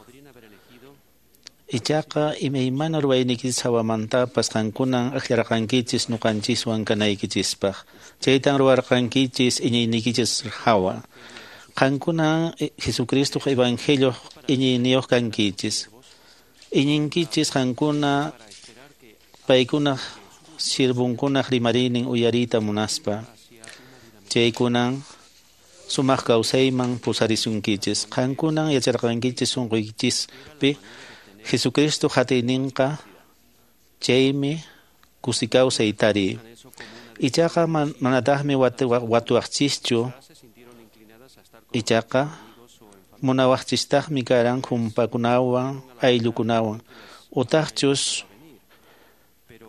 Ichaqa imaymana ruwayniykichis hawamantapas qankunan akllarqankichis nuqanchiswan kanaykichispaq. Chaytan ruwarqankichis iñiyniykichis hawa. Qankunan Jesucristoq evangelioq iñiyniyuq kankichis. Iñinkichis qankuna paykunaq sirvunkunaq rimariynin uyariyta munaspa. Chaykunan sumaq kawsayman pusarisunkichis. Qankunan yacharqankichis sunquykichispi Jesucristo hatiyninqa chaymi kusi kawsay tariy. Ichaqa manataqmi watuwaqchischu. Ichaqa munawaqchistaqmi karan humpakunawan ayllukunawan. Utaqchus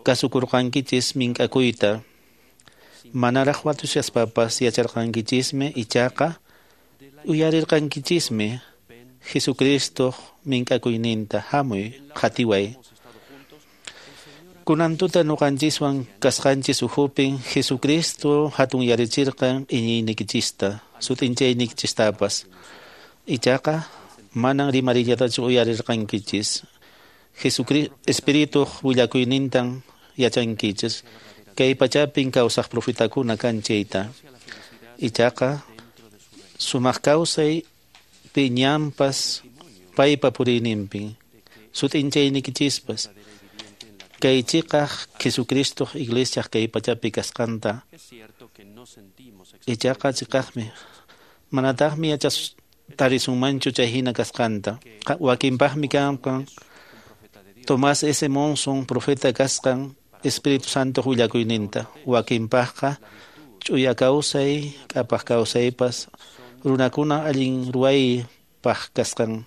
kasukurqankichis mink'akuyta. Manaraq watushaspapas yacharqankichismi ichaqa uyarirqankichismi Jesucristoq mink'akuyninta hamuy qhatiway. Kunan tuta nuqanchiswan kasqanchis ukhupin Jesucristo hatunyarichirqan iñiynikichista sut'inchaynikichistapas. Ichaqa manan rimarillatachu uyarirqankichis. Jesucristo Espirituq willakuynintan yachankichis. Kay pachapin kawsaq profetakuna kan chayta. Ichaqa sumaq kawsay piñanpas paypa puriyninpin sut'inchaynikichispas kay chiqaq Jesucristoq iglesiaq kay pachapi kasqanta. Ichaqa chiqaqmi manataqmi yachas tarisunmanchu chay hina kasqanta. Wakinpaqmi kanqan Tomás S. Monson profeta kasqan Espíritu Santo willakuyninta. Wakinpaqqa ch'uya kawsay k'apaq kawsaypas runakuna allin ruwaypaq kasqan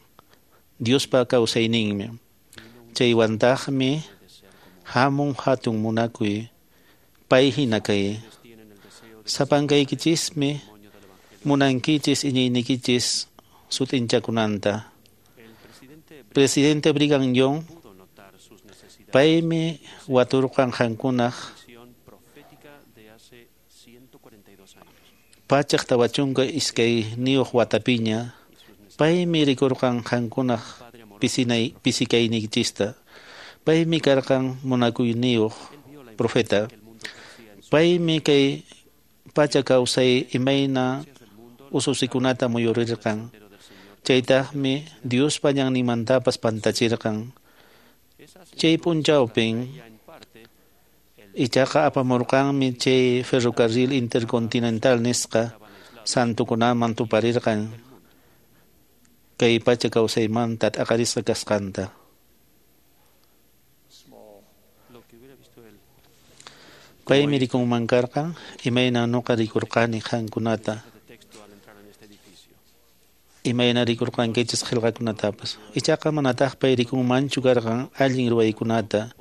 Diospa kawsayninmi. Chaywantaqmi hamun hatun munakuy pay hina kay. Sapankaykichismi munankichis iñiynikichis sut'inchakunanta. Presidente Brigham Young paymi waturqan qankunaq 142 watapiña paymi rikurqan qankunaq pisikayniykichista. Paymi karqan munakuyniyuq profeta. Paymi kay pacha kawsay imayna ususikunata muyurirqan. Chaytaqmi Diospa ñanninmantapas pantachirqan. Chay p'unchawpin ichaqa apamurqanmi chay ferrocarril intercontinental nisqa santukunaman tuparirqan kay pacha kawsaymanta t'aqarisqa kasqanta. Paymi rikunman karqan imayna nuqa rikurqani qankunata. Imayna rikurqankichis qillqakunatapas. Ichaqa manataq pay rikunmanchu karqan allin ruwaykunata.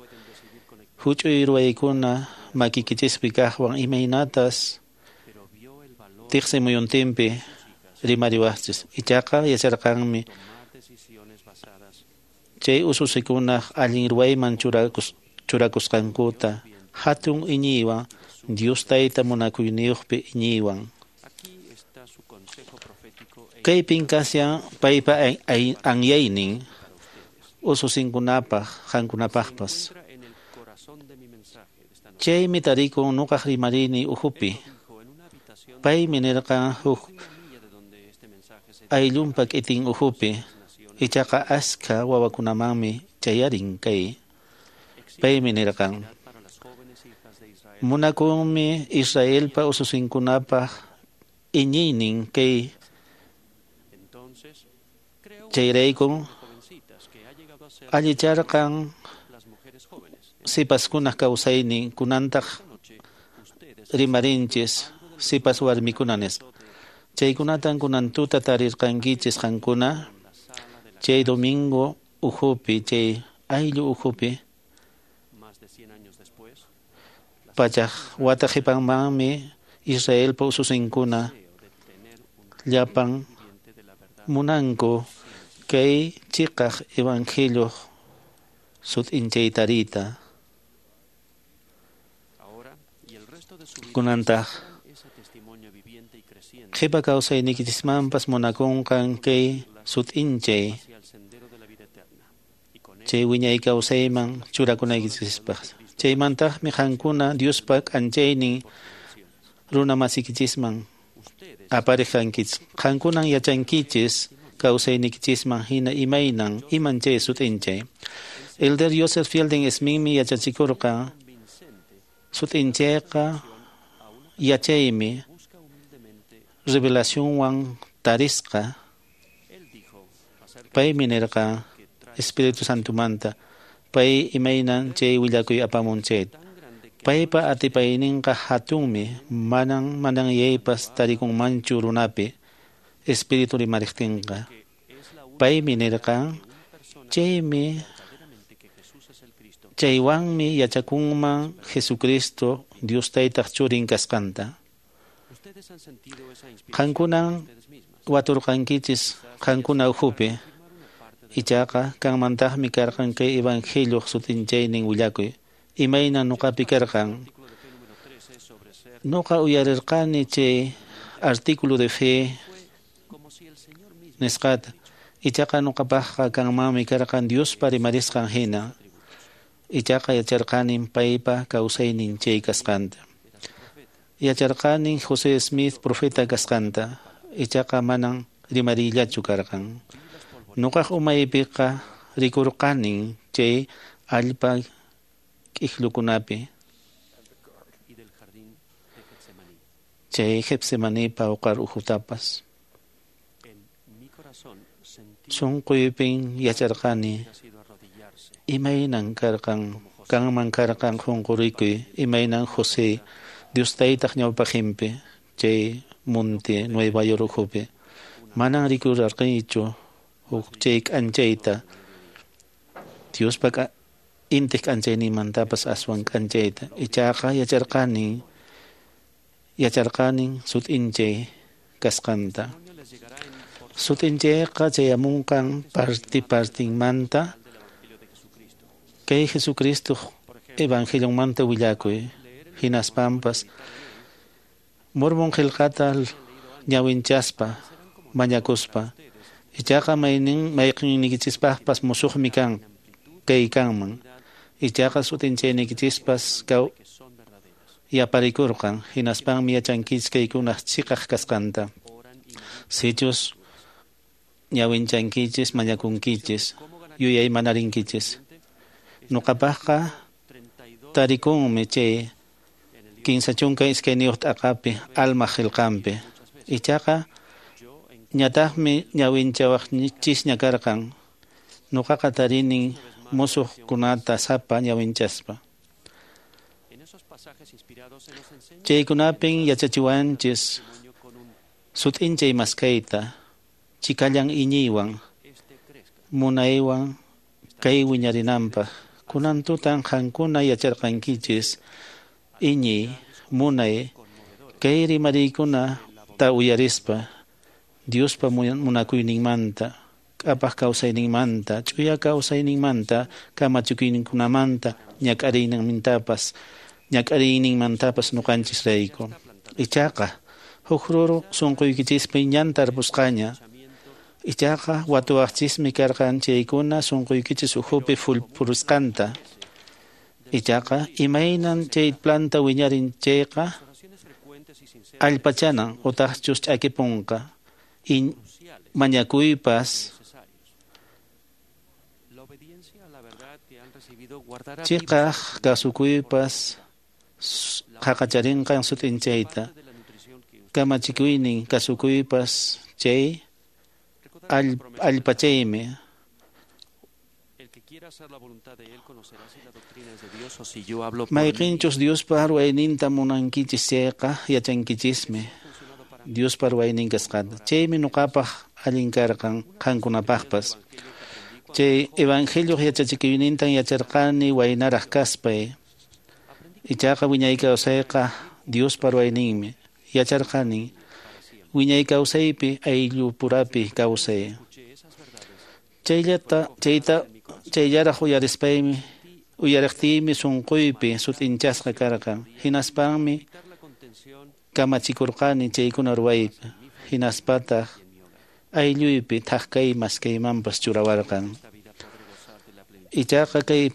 Huch'uy ruwaykuna makikichispi kaqwan imaynatas tiqsi muyuntinpi rimariwaqchis. Ichaqa yacharqanmi chay ususikunaq allin ruwayman churakusqankuta hatun iñiywan Dios Tayta munakuyniyuqpi iñiywan. Kaypin kashan paypa anyaynin ususinkunapaq qankunapaqpas. Chaymi tarikun nuqaq rimarini uhupi. Paymi nirqan huk ayllunpa k'itin uhupi. Ichaqa askha wawakunamanmi chayarin kay. Paymi nirqan munakunmi Israelpa ususinkunapaq iñiynin kay chayraykun allicharqan sipaskunaq kawsaynin kunantaq rimarinchis sipas warmikuna nispa. Chaykunatan kunan tuta tarirqankichis qankuna chay domingo uhupi chay ayllu uhupi pachaq wata qhipanmanmi Israelpa ususinkuna llapan munanku kay chiqaq evangelioq sut'inchaytarita. Kunantaq qhipa kawsayniykichismanpas munakunqan kay sut'inchay chay wiñay kawsayman churakunaykichispaq. Chaymantaqmi qankuna Diospa k'anchaynin runa masiykichisman apariqankichis. Qankunan yachankichis kawsayniykichisman hina imaynan iman chay sut'inchay. Elder Joseph Fielding Smithmi yachachikurqan sut'inchayqa yachaymi revelacionwan tarisqa. Paymi nirqan Espíritu Santomanta pay imaynan chay willakuy apamun chayta. Paypa atipayninqa hatunmi manan mananyaypas tarikunmanchu runapi Espíritu rimariqtinqa. Paymi nirqan chaymi chaywanmi yachakunman Jesucristo Dios Taytaq churin kasqanta. Qankunan waturqankichis qankuna ukhupi. Ichaqa kanmantaqmi karqan kay evangelioq sut'inchaynin willakuy. Imayna nuqapi karqan. Nuqa uyarirqani chay artículo de fe nisqata. Ichaqa nuqapaqqa kanmanmi karqan Diospa rimarisqan hina. Ichaqa yacharqanin paypa kawsaynin chay kasqanta. Yacharqanin José Smith profeta kasqanta. Ichaqa manan rimariyllachu karqan. Nuqaq umaypiqa rikurqanin chay allpa k'iklukunapi. Chay Getsemanipa uqar uhutapas. Sunquypin yacharqani imaynan karqan kanman karqan qunqurikuy imaynan José Dios Taytaq ñawpaqinpi chay monte Nueva York ukhupi. Manan rikurarqanichu huk chay k'anchayta Diospa intiq k'anchayninmantapas aswan k'anchayta. Ichaqa yacharqanin sut'inchay kasqanta. Sut'inchayqa chayamunqan parti partinmanta kay Jesucristo evangelionmanta willakuy. Hinaspanpas Mormon qillqata ñawinchaspa mañakuspa. Ichaqa mayqinniykichispas musuqmi kan kay kanman. Ichaqa sut'inchayniykichispas yaparikurqan hinaspanmi yachankichis kaykunaq chiqaq kasqanta. Sichus ñawinchankichis mañakunkichis yuyaymanarинkichis. Nuqapaqqa tarikunmi chay 32 t'aqapi almaq qillqanpi. Ichaqa ñataqmi ñawinchawaqchisña karqan. Nuqaqa tarinin musuqkunata sapa ñawinchaspa. Chaykunapin yachachiwanchis sut'inchay maskayta chikallan iñiywan munaywan kay wiñarinanpaq. Kunan tutan qankuna yacharqankichis iñiy munay kay rimariykunata uyarispa Diospa munakuyninmanta, k'apaq kawsayninmanta, ch'uya kawsayninmanta, kamachikuyninkunamanta, ñak'ariyninmantapas ñuqanchisrayku. Ichaqa huk ruru sunquykichispi ñan tarpusqaña. Ichaqa watuwaqchismi karqan chaykuna sunquykichis ukhupi purusqanta. Ichaqa imaynan chay planta wiñarin chayqa allpachanan utaqchus ch'akipunqa. Mañakuypas chiqaq kasukuypas qaqacharinqan sut'inchayta. Kamachikuynin kasukuypas chay allpachaymi. Mayqinchus Diospa ruwayninta munankichis chayqa yachankichismi Diospa ruwaynin kasqanta. Chaymi ñuqapaq allin karqan qankunapaqpas. Chay evangelioq yachachikuynintan yacharqani waynaraq kaspay. Ichaqa wiñay kawsayqa Diospa ruwayninmi. Yacharqani wiñay kawsaypi ayllupurapi kawsay. Chayllaraq uyarispaymi uyariqtiymi sunquypi sut'inchasqa karqan. Hinaspanmi kamachikurqani chaykuna ruwaypi. Hinaspataq aylluypi thak kay maskaymanpas churawarqan. Ichaqa kay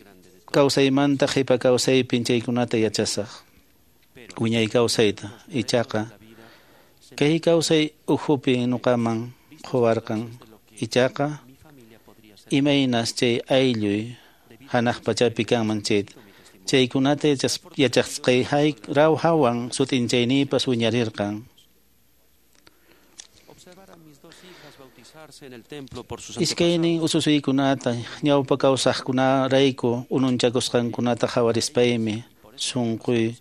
kawsaymanta qhipa kawsaypin chaykunata yachasaq. Wiñay kawsayta. Ichaqa kay kawsay ukhupi ñuqaman quwarqan. Ichaqa imaynas chay aylluy hanaq pachapi kanman chayta. Chaykunata yachasqay rawhawan sut'inchayniypas wiñarirqan. Iskaynin ususuykunata ñawpa kawsaqkunarayku ununchakusqankunata qhawarispaymi sunquy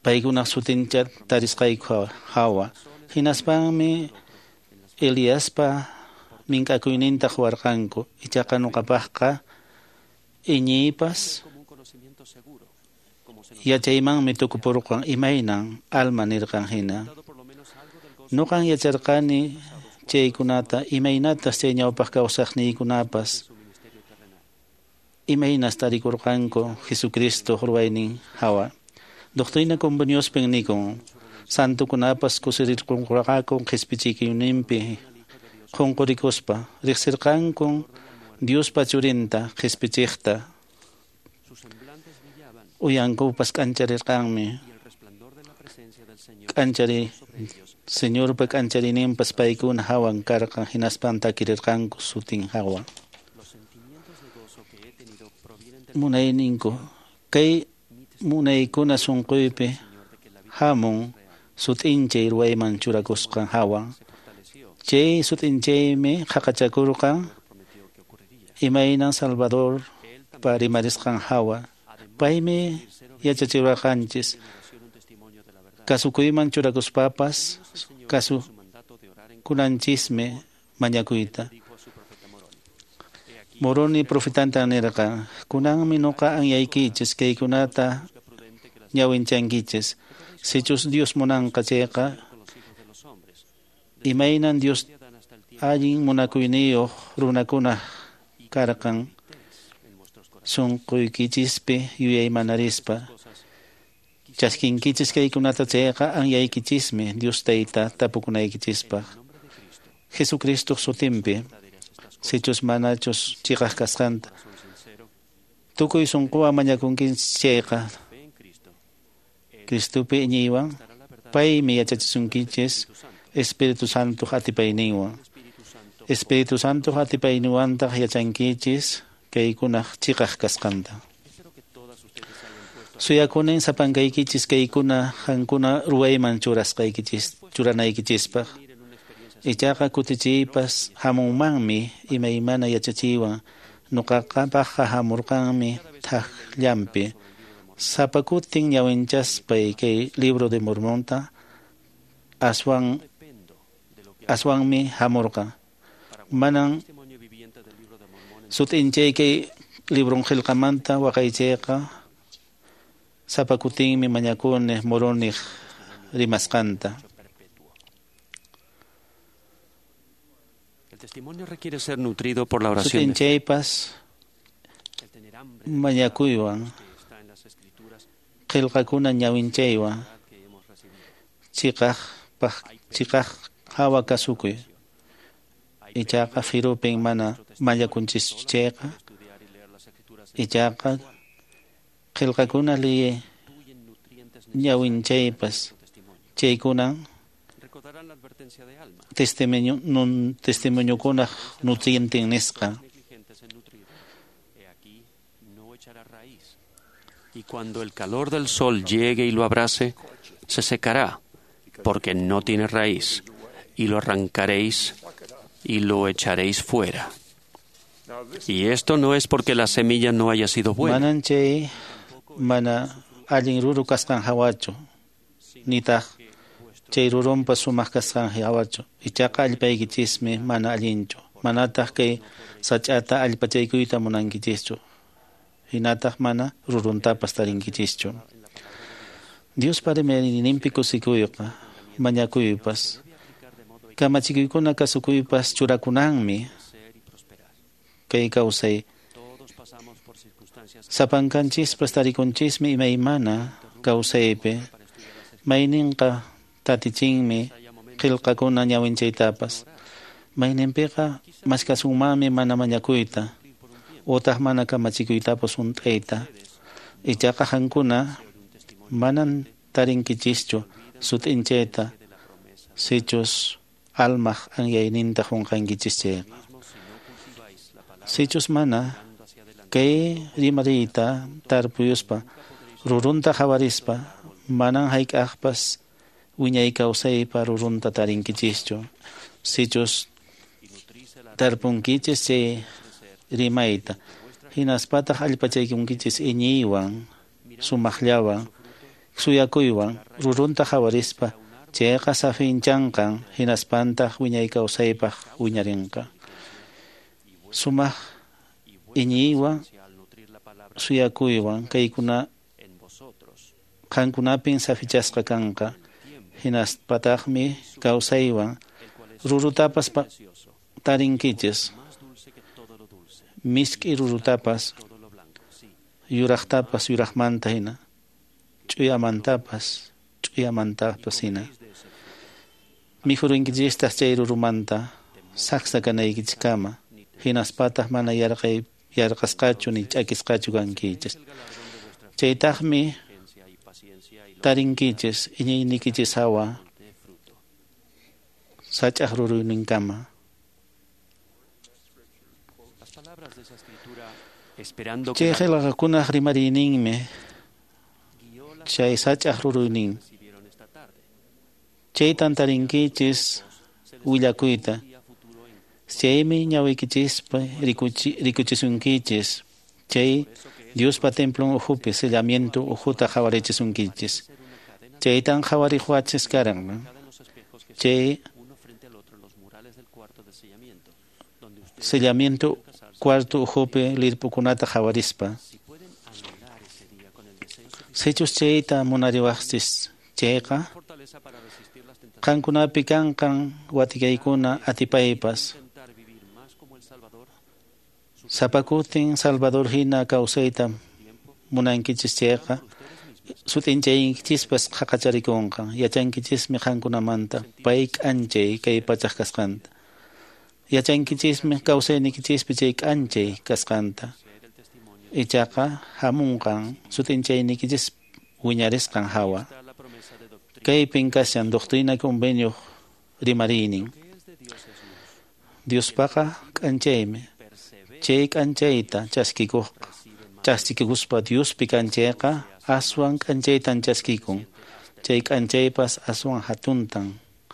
paykunaq sutincha tarisqayku hawa. Hinaspanmi Eliaspa mink'akuyninta quwarqanku. Ichaqa ñuqapaqqa iñiypas yachaymanmi tukupurqan imaynan alma nirqan hina. Ñuqan yacharqani chaykunata imaynatas chay ñawpaq kawsaqniykunapas imaynas tarikurqanku Jesucristo ruwaynin hawa. Doctrina Conveniospin nikun santukunapas kusirirqunqaku qhispichikuyninpi qunqurikuspa riqsirqanku Diospa churinta qhispichiqta. Uyankupas k'ancharirqanmi. K'anchari Señorpa k'ancharininpas paykuna hawan karqan hinaspan takirirqanku sutin hawa. Munayninku kay munaykuna sunquypi hamun sut'inchay ruwayman churakusqan hawa. Chay sut'inchaymi qaqachakurqan imaynan Salvador pa rimarisqan hawa. Paymi yachachiwarqanchis kasukuyman churakuspapas kasukunanchismi mañakuyta. Moroni profetanta nirqan, kunanmi ñuqa anyaykichis kaykunata ñawinchankichis. Sichus Dios munanqa chayqa imaynan Dios allin munakuyniyuq runakuna karqan sunquykichispi yuyaymanarispa. Chaskinkichis kaykunata chayqa anyaykichismi Dios tayta tapukunaykichispaq. Jesucristo sutinpi sichus manachus chiqaq kasqanta tukuy sunquwan mañakunkichis chayqa Cristopi iñiywan paymi yachachisunkichis Espíritu Santo atipayninwan. Espíritu Santo atipayninwantaq yachankichis kaykunaq chiqaq kasqanta. Suyakunin sapankaykichis kaykuna qankuna ruwayman churasqaykichis churanaykichispaq. Ichaqa kutichiypas hamunmanmi imaymana yachachiywan. Ñuqapaqqa hamurqanmi thaqllanpi. Sapa kutin ñawinchaspay kay libro de Mormonta aswanmi hamurqan. Manan sut'inchay kay libron qillqamanta waqaychayqa sapa kutinmi mañakuni Moroniq rimasqanta. testimonio requiere ser nutrido por la oración. Sut'inchaypas mañakuywan, qillqakuna ñawinchaywan, chiqaq hawa kasukuy. Ichaqa firupin mana mañakunchischu chayqa, ichaqa qillqakuna liyi ñawinchaypas chaykunan testimoniokunaq nutrienten nisqa. Y cuando el calor del sol llegue y lo abrase, se secará, porque no tiene raíz, y lo arrancaréis y lo echaréis fuera. Y esto no es porque la semilla no haya sido buena. Manan chay mana allin ruru kasqan hawachu, nitaq chay rurunpa sumaq kasqan hawachu. Ichaqa allpaykichismi mana allinchu, manataq kay sach'ata allpachaykuyta munankichischu, hinataq mana ruruntapas tarinkichischu. Diospa rimayninpi kusikuyqa, mañakuypas, kamachikuykuna kasukuypas churakunanmi kay kawsay. Sapankanchispas tarikunchismi imaymana kawsaypi, mayninqa tatichinmi qillqakuna ñawinchaytapas, mayninpiqa maskasunmanmi mana mañakuyta utaq mana kamachikuytapas hunt'ayta. Ichaqa qankuna manan tarinkichischu sut'inchayta sichus almaq anyayninta qunqankichis chayqa. Sichus mana kay rimariyta tarpuyuspa rurunta qhawarispa manan hayk'aqpas wiñay kawsaypa rurunta tarinkichischu. Sichus tarpunkichis chay rimayta hinaspataq allpachaykunkichis iñiywan, sumaqllawan, suyakuywan rurunta qhawarispa chayqa safinchanqan hinaspantaq wiñay kawsaypaq wiñarinqa. Sumaq iñiywan, suyakuywan kaykuna qankunapin safichasqa kanqa, hinaspataqmi kawsaywan rurutapas tarinkichis, misk'i rurutapas, yuraqtapas yuraqmanta hina, ch'uyamantapas ch'uyamantapas hina. Mikhurunkichistaq chay rurumanta saksa kanaykichiskama, hinaspataq mana yarqasqachu ni ch'akisqachu kankichis. Chaytaqmi tarinkichis iñiynikichis hawa sach'aq ruruyninkama. Chay qillqakunaq rimariyninmi chay sach'aq ruruynin. Chaytan tarinkichis willakuyta. Chaymi ñawiykichispa rikuchisunkichis. Chay Diospa templon ukhupi sellamiento ukhuta qhawarichisunkichis. Chaytan qhawarihuachis karan. Chay sellamiento cuarto ukhupi lirpukunata qhawarispa. Sichus chayta munariwaqchis chayqa qankunapi kanqan watikaykuna atipaypas. Sapakutin Salvador hina kawsayta munankichis chayqa sut'inchaykichispas qhaqacharikunqa. Yachankichismi qankunamanta pay k'anchay kay pachaq kasqanta. Yachankichismi kawsayniykichispi chay k'anchay kasqanta. Ichaqa hamunqan sut'inchaynikichis wiñarisqan hawa. Kaypin kashan doctrina convenio rimariynin. Diospaqa k'anchaymi. Chay k'anchayta chaskikuspa Diospi k'anchayqa aswan k'anchaytan chaskikun. Chay k'anchaypas aswan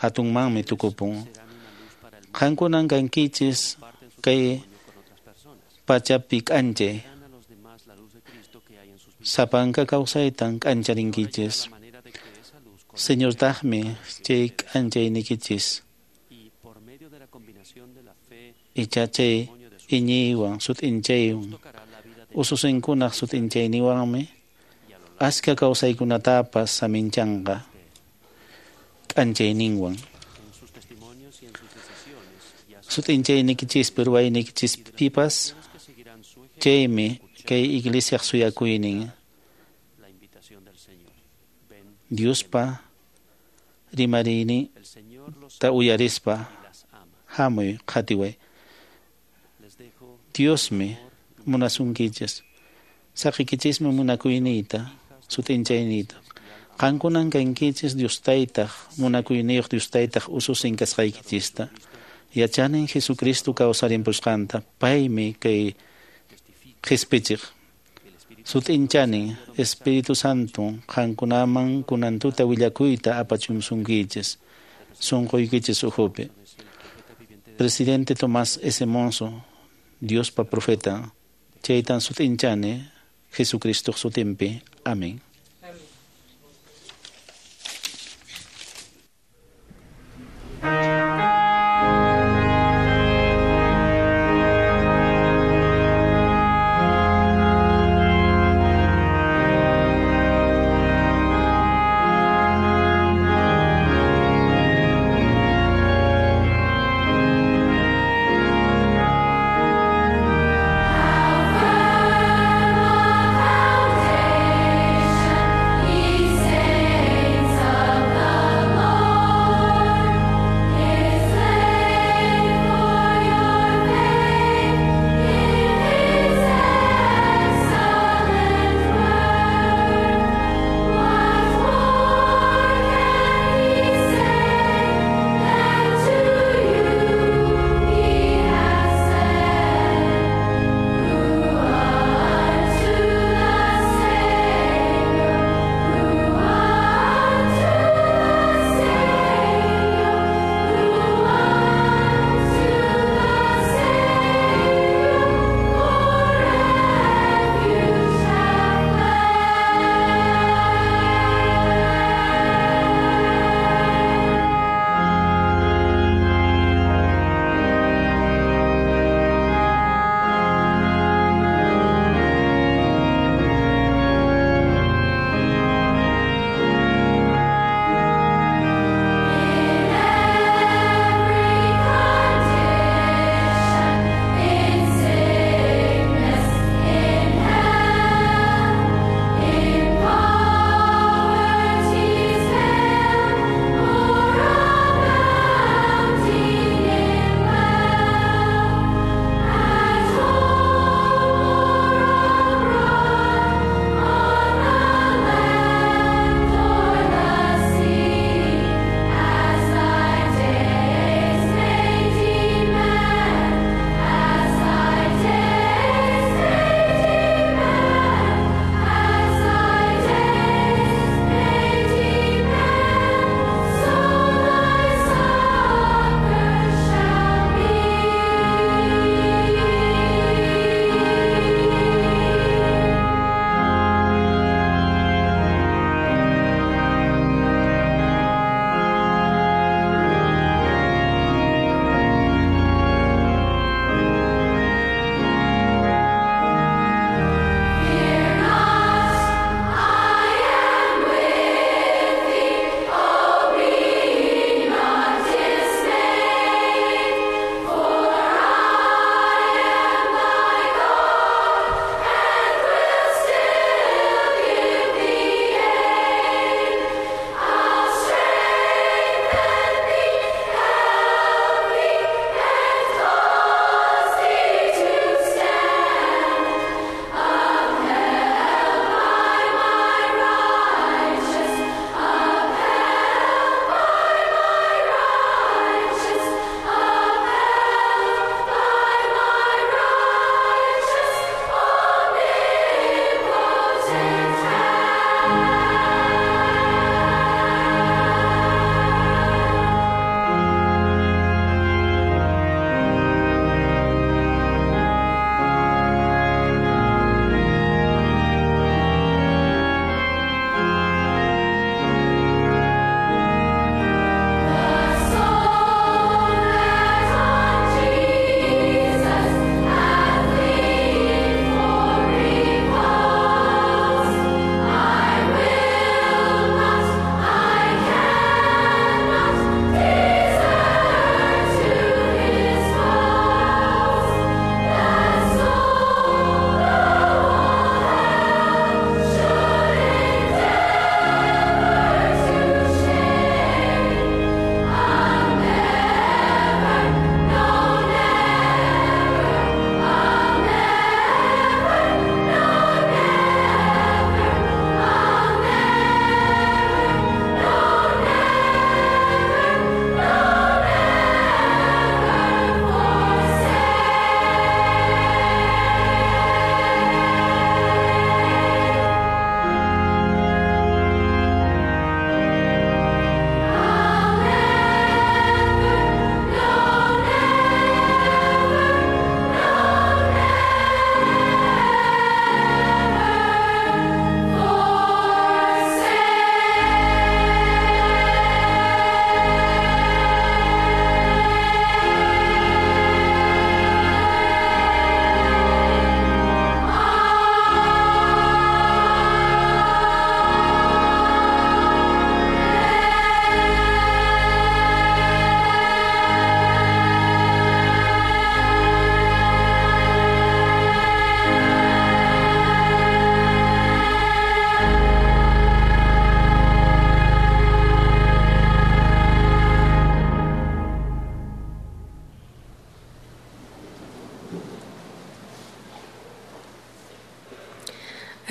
hatunmanmi tukupun. Qankunan kankichis kay pachapi k'anchay. Sapanka kawsaytan k'ancharinkichis. Señortaqmi chay k'anchaynikichis. Icha chay iñiywan sut'inchaywan ususinkunaq sut'inchayniwanmi askha kawsaykunatapas saminchanqa k'anchayninwan. Sut'inchayniykichispi ruwayniykichispipas chaymi kay iglesiaq suyakuynin. Diospa rimariyni ta uyarispa hamuy qhatiway. Diosmi munasunkichis. Saqikichismi munakuyniyta, sut'inchayniyta. Qankunan kankichis Dios taytaq, munakuyniyuq Dios taytaq ususin kasqaykichista. Yachanin Jesucristo kawsarimpusqanta, paymi kay qhispichiq. Sut'inchanin Espíritu Santo qankunaman kunan tuta willakuyta apachumsunkichis, sunquykichis ukhupi. Presidente Tomás S. Monson, Diospa profeta, chaytan sut'inchani Jesucristo sutinpi. Amén. Foundation.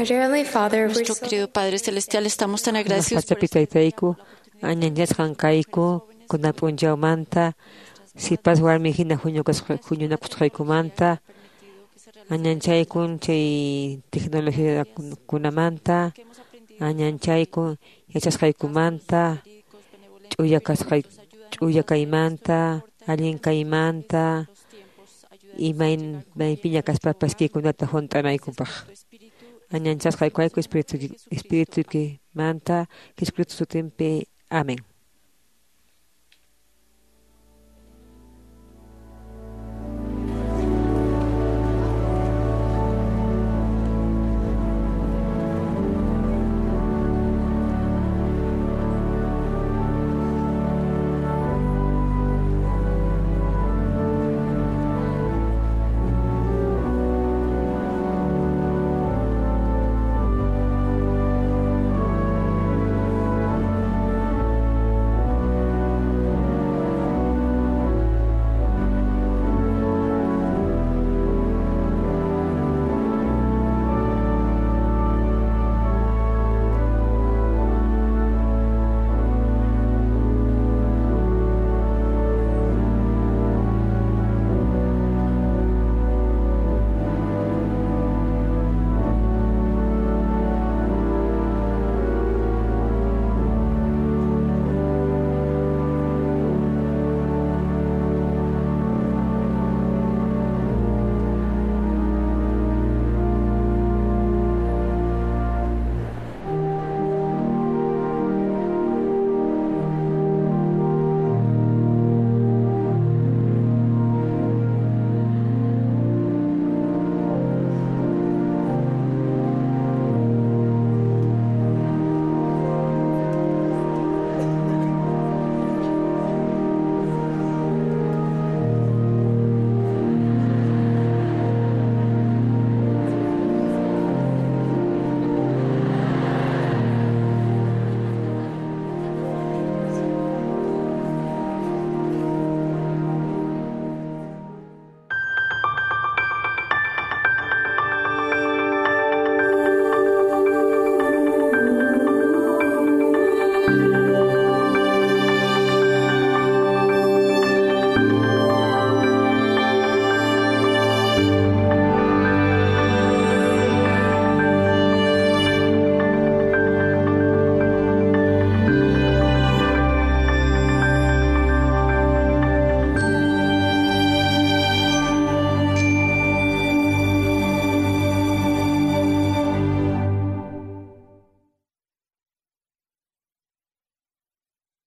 Nuestro querido Padre Celestial, estamos tan agradecidos por Pachapi taytayku, añanchasqan kayku, kunan p'unchawmanta, sipas warmi hina huñunakusqaykumanta, añanchaykun chay tecnologiakunamanta, añanchaykun yachasqaykumanta, ch'uya kaymanta, allin kaymanta, imaypiña kaspapas kaykunata hunt'anaykupaq. Añanchasqayku espiritukimanta, Jesucristo sutinpi. Amén.